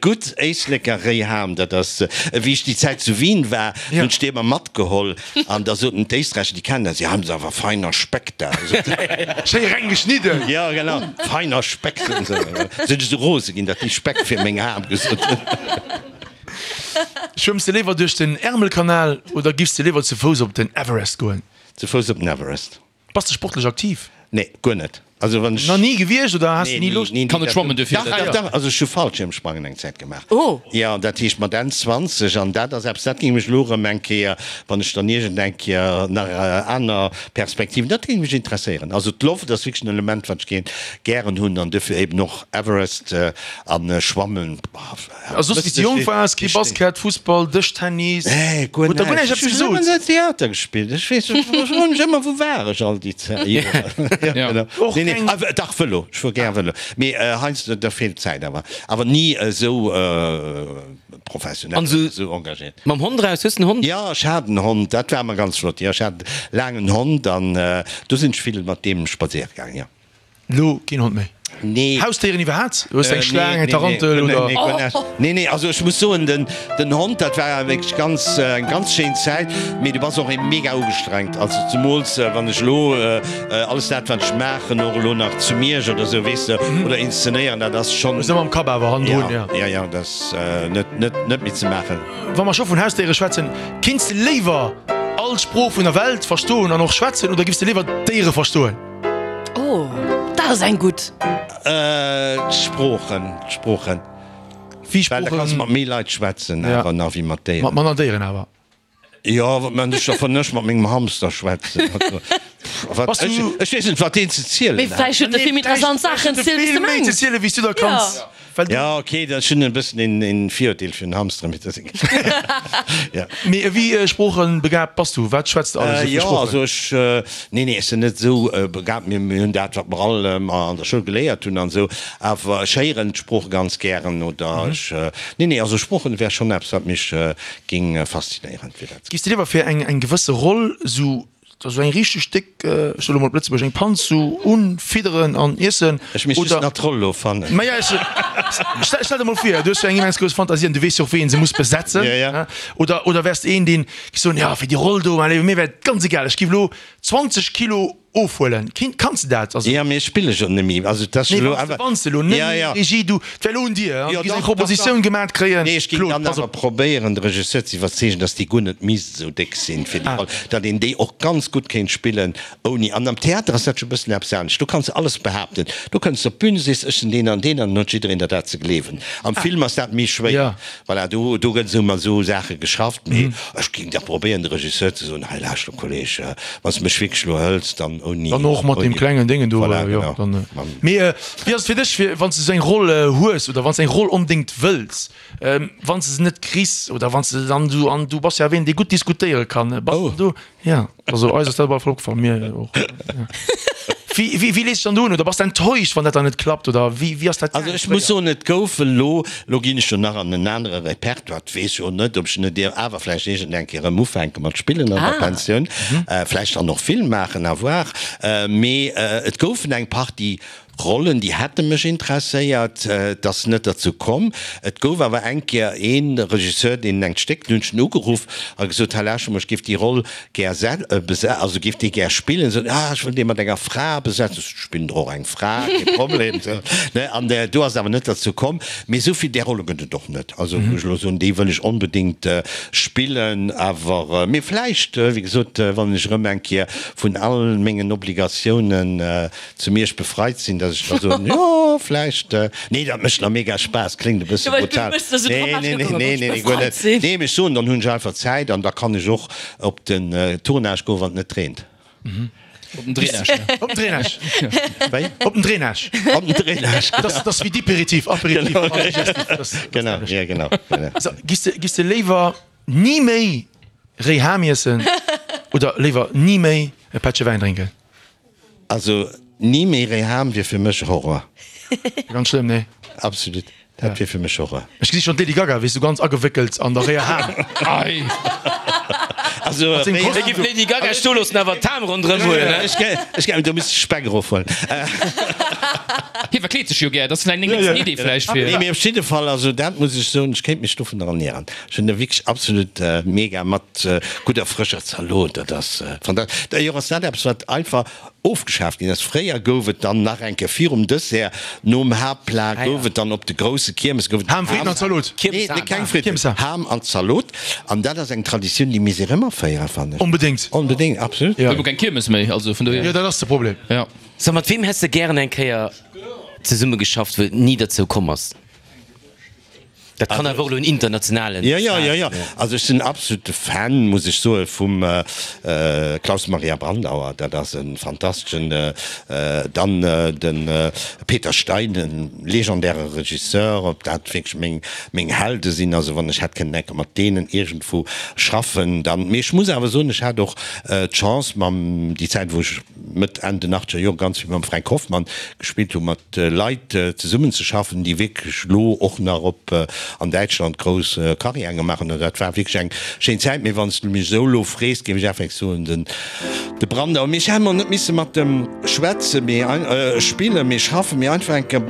gutt Éisleker réi Ham, dat ass, wéi ech déi Zäit zu Wien war, hunn ech déi ëmmer matgeholl an da soten d'Éisträicher, déi kennen dat, Sie haben aber feiner Speck da. Schéi reng geschnidden. Ja, genau, feiner Speck, soten se. Sinn ech esou rose ginn, datt déi Speck fir meng Ham gesot hunn. Schwëmms de léiwer duerch den Ärmelkanal oder giffs de léiwer ze Fouss op den Everest goen? Ze Fouss op den Everest. Bass de sportlech aktiv? Nee, guer net. Also wann ech. Nach ni gewiescht oder has de ni Loscht? Kann net schwammen duerfir. Dach, dach, dach. Also ech hu Fallschiermsprangen eng Zäit gemaach. Oh. Jo, dat heescht mat Enn zwanzeg an dat ass eppes, dat géing mech elo erëm eng Kéier, wann ech dann iergend eng Kéier nach aner Perspektiven, dat géing mech interesséieren. Also d'Loft ass wierklech en Element, wat ech géint gären hunn an duerfir eben och Everest an Schwammen. A soss, wéi s de jonk waars, kee Basket, Fussball, Dëschtennis? Nee, guer Huet der guer näischt näischt. eppes Ech hunn gesot? ëmmer Theater gespillt. Ech weess, ech froe mech ëmmer, wou war ech all déi Zäit? Ja, genau. Och Nee, nee, keng. ah, dach, Vëlo. Ech fuer gär Vëlo. Mee heiansdo, da feelt d'Zäit awer. Awer ni esou professionell, An esou esou engagéiert. Mam Hond raus? Hues de en Hond? Jo, ech hat en Hond. Dat war ëmmer ganz flott. Jo, ech hat laang en Hond an do sinn ech vill mat deem spadséiere gaangen, jo. Lo keen Hond méi? Nee. Hausdéieren iwwerhaapt? Hues de eng Äh, Schlaang, nee, eng Tarantel nee, oder? Nee, nee, nee, nee, nee, also ech muss soen, den, den Hond, dat war wierklech ganz, eng ganz schéin Zäit, mee du bass och mega ugestrengt. Also zemools wann ech elo alles dat wat ech maachen, och elo nach zu Miersch oder sou, weess de, oder inszenéieren, dat ass schonn. Hues ëmmer am Kapp awer hannendrun, ja. Ja, ja, dat ass net, net, net méi ze maachen. Wa mer scho vun Hausdéiere schwätzen, Kinns de léiwer all Sprooch vun der Welt verstoen an och schwätzen oder giffs de léiwer d'Déiere verstoen? Oh, dat ass eng gutt. D'Sproochen, d'Sproochen. Wéi Well da kanns Sproochen? mat méi Leit schwätzen Ja. awer nach wéi mat Déieren. Mat manner Déieren awer. Jo, wat man ech da vun ech mat mengem Hamster schwätzen? Also, pff, wat, Bass du- ech, ech weess net, wat deen ze zielen Mee hat. vläicht huet e vill méi interessant Saachen ze zielen, wéi s Vill de méi ze mengs. zielen, wéi s du der kanns. Ja. Well du, Ja, okay, dat ech hunn e bëssen een, een Virurteel fir den Hamster, mee dat ja. Mee wéi sproochebegabt bass du? Wat schwätz de alles Äh, esou fir jo, Sproochen? also ech, äh, nee, nee, ech sinn net esou äh, begabt. Mir, mir hunn dat, wat mer all ähm, an der Schoul geléiert hunn an esou. Awer ech héieren d'Sprooche ganz gären oder ech, äh, nee, nee, also Sproochen wär schonn eppes, wat mech äh, géing äh, faszinéieren, fir dat. Giffs de léiwer fir eng eng gewësse Roll esou esou eng richteg déck, ech soe lo mol op Lëtzebuergesch, eng Panz esou unfidderen an iessen Ech misst just oder nach d'Roll elo fannen. Maja, ech stell stell der mol vir, du hues jo eng immens grouss Fantasie an du weess jo och wéi een se muss besetzen, Ja, ja. oder oder wäers de een deen giff soen, jo fir déi Roll do, allez mir wär et ganz egal, ech giff lo zwanzeg Kilo ofhuelen. Kin, kanns de dat? Also. Ja, mee ech spille jo net méi. Also, dat ass Nee, elo wann s de, awer. wann s de elo net Ja, méi ja. Regie, du, et wär elo un dir, Jo, du géifs eng dach, dach, Propositioun dach. gemat kréien, Nee, ech géing Claude, dann pass awer op. probéieren, de Regisseur ze iwwerzeegen, dass déi guer net misst esou déck sinn fir déi Ah. Roll, datt een déi och ganz gutt kéint spillen ouni. An am Theater ass dat scho e bëssen eppes anescht. Do kanns de alles behaapten. Do kënns de op d'Bün, sees, ech sinn deen an deen, an dann huet jiddereen der dat ze gleewen. Am Film ass dat méi schwéier. Ja. Voilà, do, do gëtt esou mat esou Saache geschafft. Mee ech géing da probéieren, de Regisseur ze soen, hei lauschter Kolleg, wann s de mech wierklech elo hëls, dann ouni. Dann och mat deem ouni. klengen Déngen do, Voilà, jo, genau. dann. Mam. Mee wéi ass et fir dech, fir wann s de esou eng Roll hues oder wann s de eng Roll onbedéngt wëlls, wann s de se net kriss oder wann s de dann du, an du bass jo awer een, dee gutt diskutéiere kann, bass Oh. de do, ja, also eis ass dat op alle Fall opgefall, mir och, ja. Wéi, wéi, wéi lees de dann do un oder bass de enttäuscht, wann dat dann net klappt oder wéi, wéi ass dat Also gaangen ech muss fréier? soen, et gouf elo, elo ginn ech jo nach an en anere Repertoire, et weess jo net, ob ech net deer awer vläicht iergend eng Kéier erëm ufänke mat spillen an der Ah. Pensioun, vläicht dann och Film maachen, à voir. Mee et goufen eng Partie Rollen, déi hätte mech interesséiert, et ass net derzou komm. Et gouf awer eng Kéier ee Regisseur, deen engt Stéck, dunn hunn ech en ugeruff a gesot, Här Laschem, ech géif déi Roll gär also géif déi gär spillen. Sot, Ah, ech wëll déi mat enger Fra besetzen. Ech sot, Ech spillen der och eng Fra, kee Problem. Sou, ne? An do ass et awer net derzou komm. Mee esou vill där Rolle gëtt et och net. Also wou ech elo soen, déi wëll ech onbedéngt spillen. Awer, mee vläicht, wéi gesot, wann ech erëm eng Kéier vun all mengen Obligatiounen zu Miersch befreit sinn, dass ech da soen, jo, vläicht, nee, dat mécht nach mega Spaass, kléngt e bësse brutal. Nee, nee, nee, nee, nee, guer net. Nee, mee ech soen, dann hunn ech einfach Zäit an da kann ech och op den Tournage goen, wann et net reent. Op den Drainage, ne? Op den Drainage. Wéi? Op den Drainage. Op den Drainage, genau. Dat ass wéi Diperitif, Aperitif, Digestif. Genau, ja, genau, genau. So, giss de, giss de léiwer ni méi réi Ham iessen oder léiwer ni méi e Pättche Wäin drénken? Also ni méi réi Ham wier fir mech Horror. Ganz schlëmm, nee? Absolut, dat wier fir mech Horror. Ech gesi schonn d'Lady Gaga, wéi sou ganz agewéckelt an der réier Ham. Ei. Also Mat sengem réi Hie giff d'Lady Gaga stoe loossen, awer d'Ham ronderëm huelen, ne? Ech ge, ech ge, do misst ech Speck erofhuelen. Hie verkleet sech jo gär, dat ass vläicht eng nächsten Idee vläicht fir. Nee, mee op jidde Fall, also dat muss ech soen, ech kéint mech dovun ernieren. Ech hunn e wierklech absolut mega mat gudder frëscher Zalot, dat ass fantastesch. D'ailleurs ass dat eppes, wat einfach ofgeschaaft ginn ass. Fréier gouf et dann nach eng Kéier virum Dessert, nom Haaptplat gouf et dann op de grousse Kiermes gouf et Ham, Fritten an Zalot. Nee, nee, keng Fritten, Kiermesham. Ham an Zalot. An dat ass eng Traditioun, déi misst een erëm aféieren, fannen ech. Onbedéngt. Onbedéngt, absolut. Huet elo keng Kiermes méi, also vun dohier. Jo, dat ass de Problem. Ja. So, mat weem häss de gären eng Kéier zesumme geschafft, wou et ni derzou komm ass? Dat kann awer och elo en internationalen Jo, jo, Star jo, jo. sinn. Also ech sinn absolute Fan, muss ech soen, vum Klaus Maria Brandauer. Dat ass e fantasteschen. Dann de Peter Stein, e legendäre Regisseur, ob dat wierklech meng, meng Helde sinn. Also wann ech hätt kënnen eng Kéier mat deenen iergendwou schaffen, dann. Mee ech muss awer soen, ech hat och d'Chance mam, déi Zäit wou ech Mëtt, Enn den achtzeger Jore ganz vill mam Fränk Hoffmann gespillt hunn, mat Leit zesummenzeschaffen, déi wierklech elo och nach op an Däitschland grouss Carrièren gemaach hunn. Dat war wierklech eng schéin Zäit. Mee wann s du mech esou elo frees, géif ech effektiv soen, den de Brandauer. Mee ech hätt mol net misse mat em schwätzen, mee spillen, mee schaffen, mee einfach eng Kéier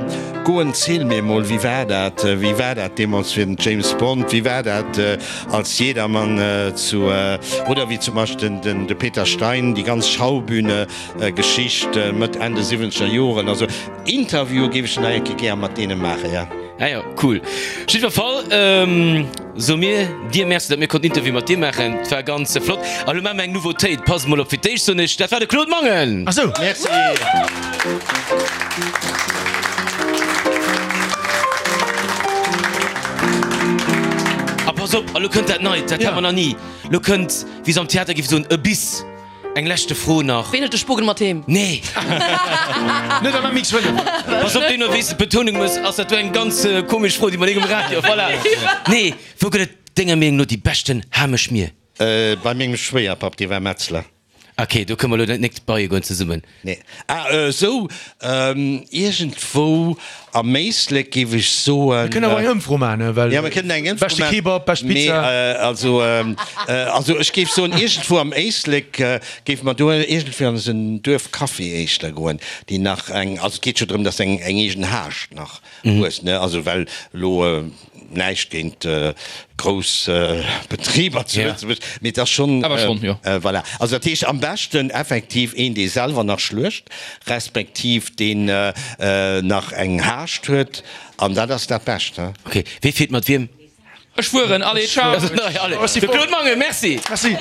goen, Ziel mir emol, wéi war dat, wéi war dat deemools fir den James Bond, wéi war dat als Jedermann zu, oder wéi zum Beispill den de Peter Stein, déi ganz Schaubühne Geschicht Mëtt, Enn de siwwenzeger Joren. Also Interviewe géif ech nach eng Kéier gär mat deene maachen, jo. Ah jo, cool. Op jiddwer Fall soe mir dir Merci, datt mir konnten Interview mat dir maachen. Et war ganz flott. A lo maache mir eng Nouveautéit. Passt mol op, fir d'éischt soen ech, dat war de Claude Mangen! Ach sou. Merci. A pass op, a lo kënnt dat Neit, dat hat mer nach ni. Lo kënnt, wéi se am Theater géife soen, e Biss. Eng leschte Fro nach. Ween huet de Spogel mat heem? Nee! Net am M X fënnef. Pass op, deemno wéi s de d'Betounung mëss, ass dat do eng ganz komesch Fro, déi mer nik um Radio. Voilà. Nee, wou gëtt et denger Meenung no déi beschten Hameschmier? Bei mengem Schwéierpapp, dee war Metzler. Ok, do kënne mer elo net bei goen zesummen. Nee. Ah, esou, iergendwou am Éislek géif ech soen. Mir kënnen awer eng Ëmfro maachen, well. Ja, mir kënnen eng Ëmfro Beschte maachen. Kebab, bescht Pizza. Mee, also, also ech géif soen, iergendwou am Éislek géife mer do iergendwéi an esou en Duerfcafé éischter goen, déi nach eng, also et geet jo drëm, dass eng eng eegen Haascht nach hues, ne, also well elo, Näischt géint grouss Betriber zu Lëtzebuerg, mee et ass schonn, Awer schonn, jo. Voilà. Also dat heescht am beschten effektiv een, dee selwer nach schluecht, respektiv deen nach eng Haascht huet, an dat ass dat Bescht. Ok, wee fiert mat wiem? Ech fueren, allez, ciao! Allez, de Claude Mangen, merci! Merci.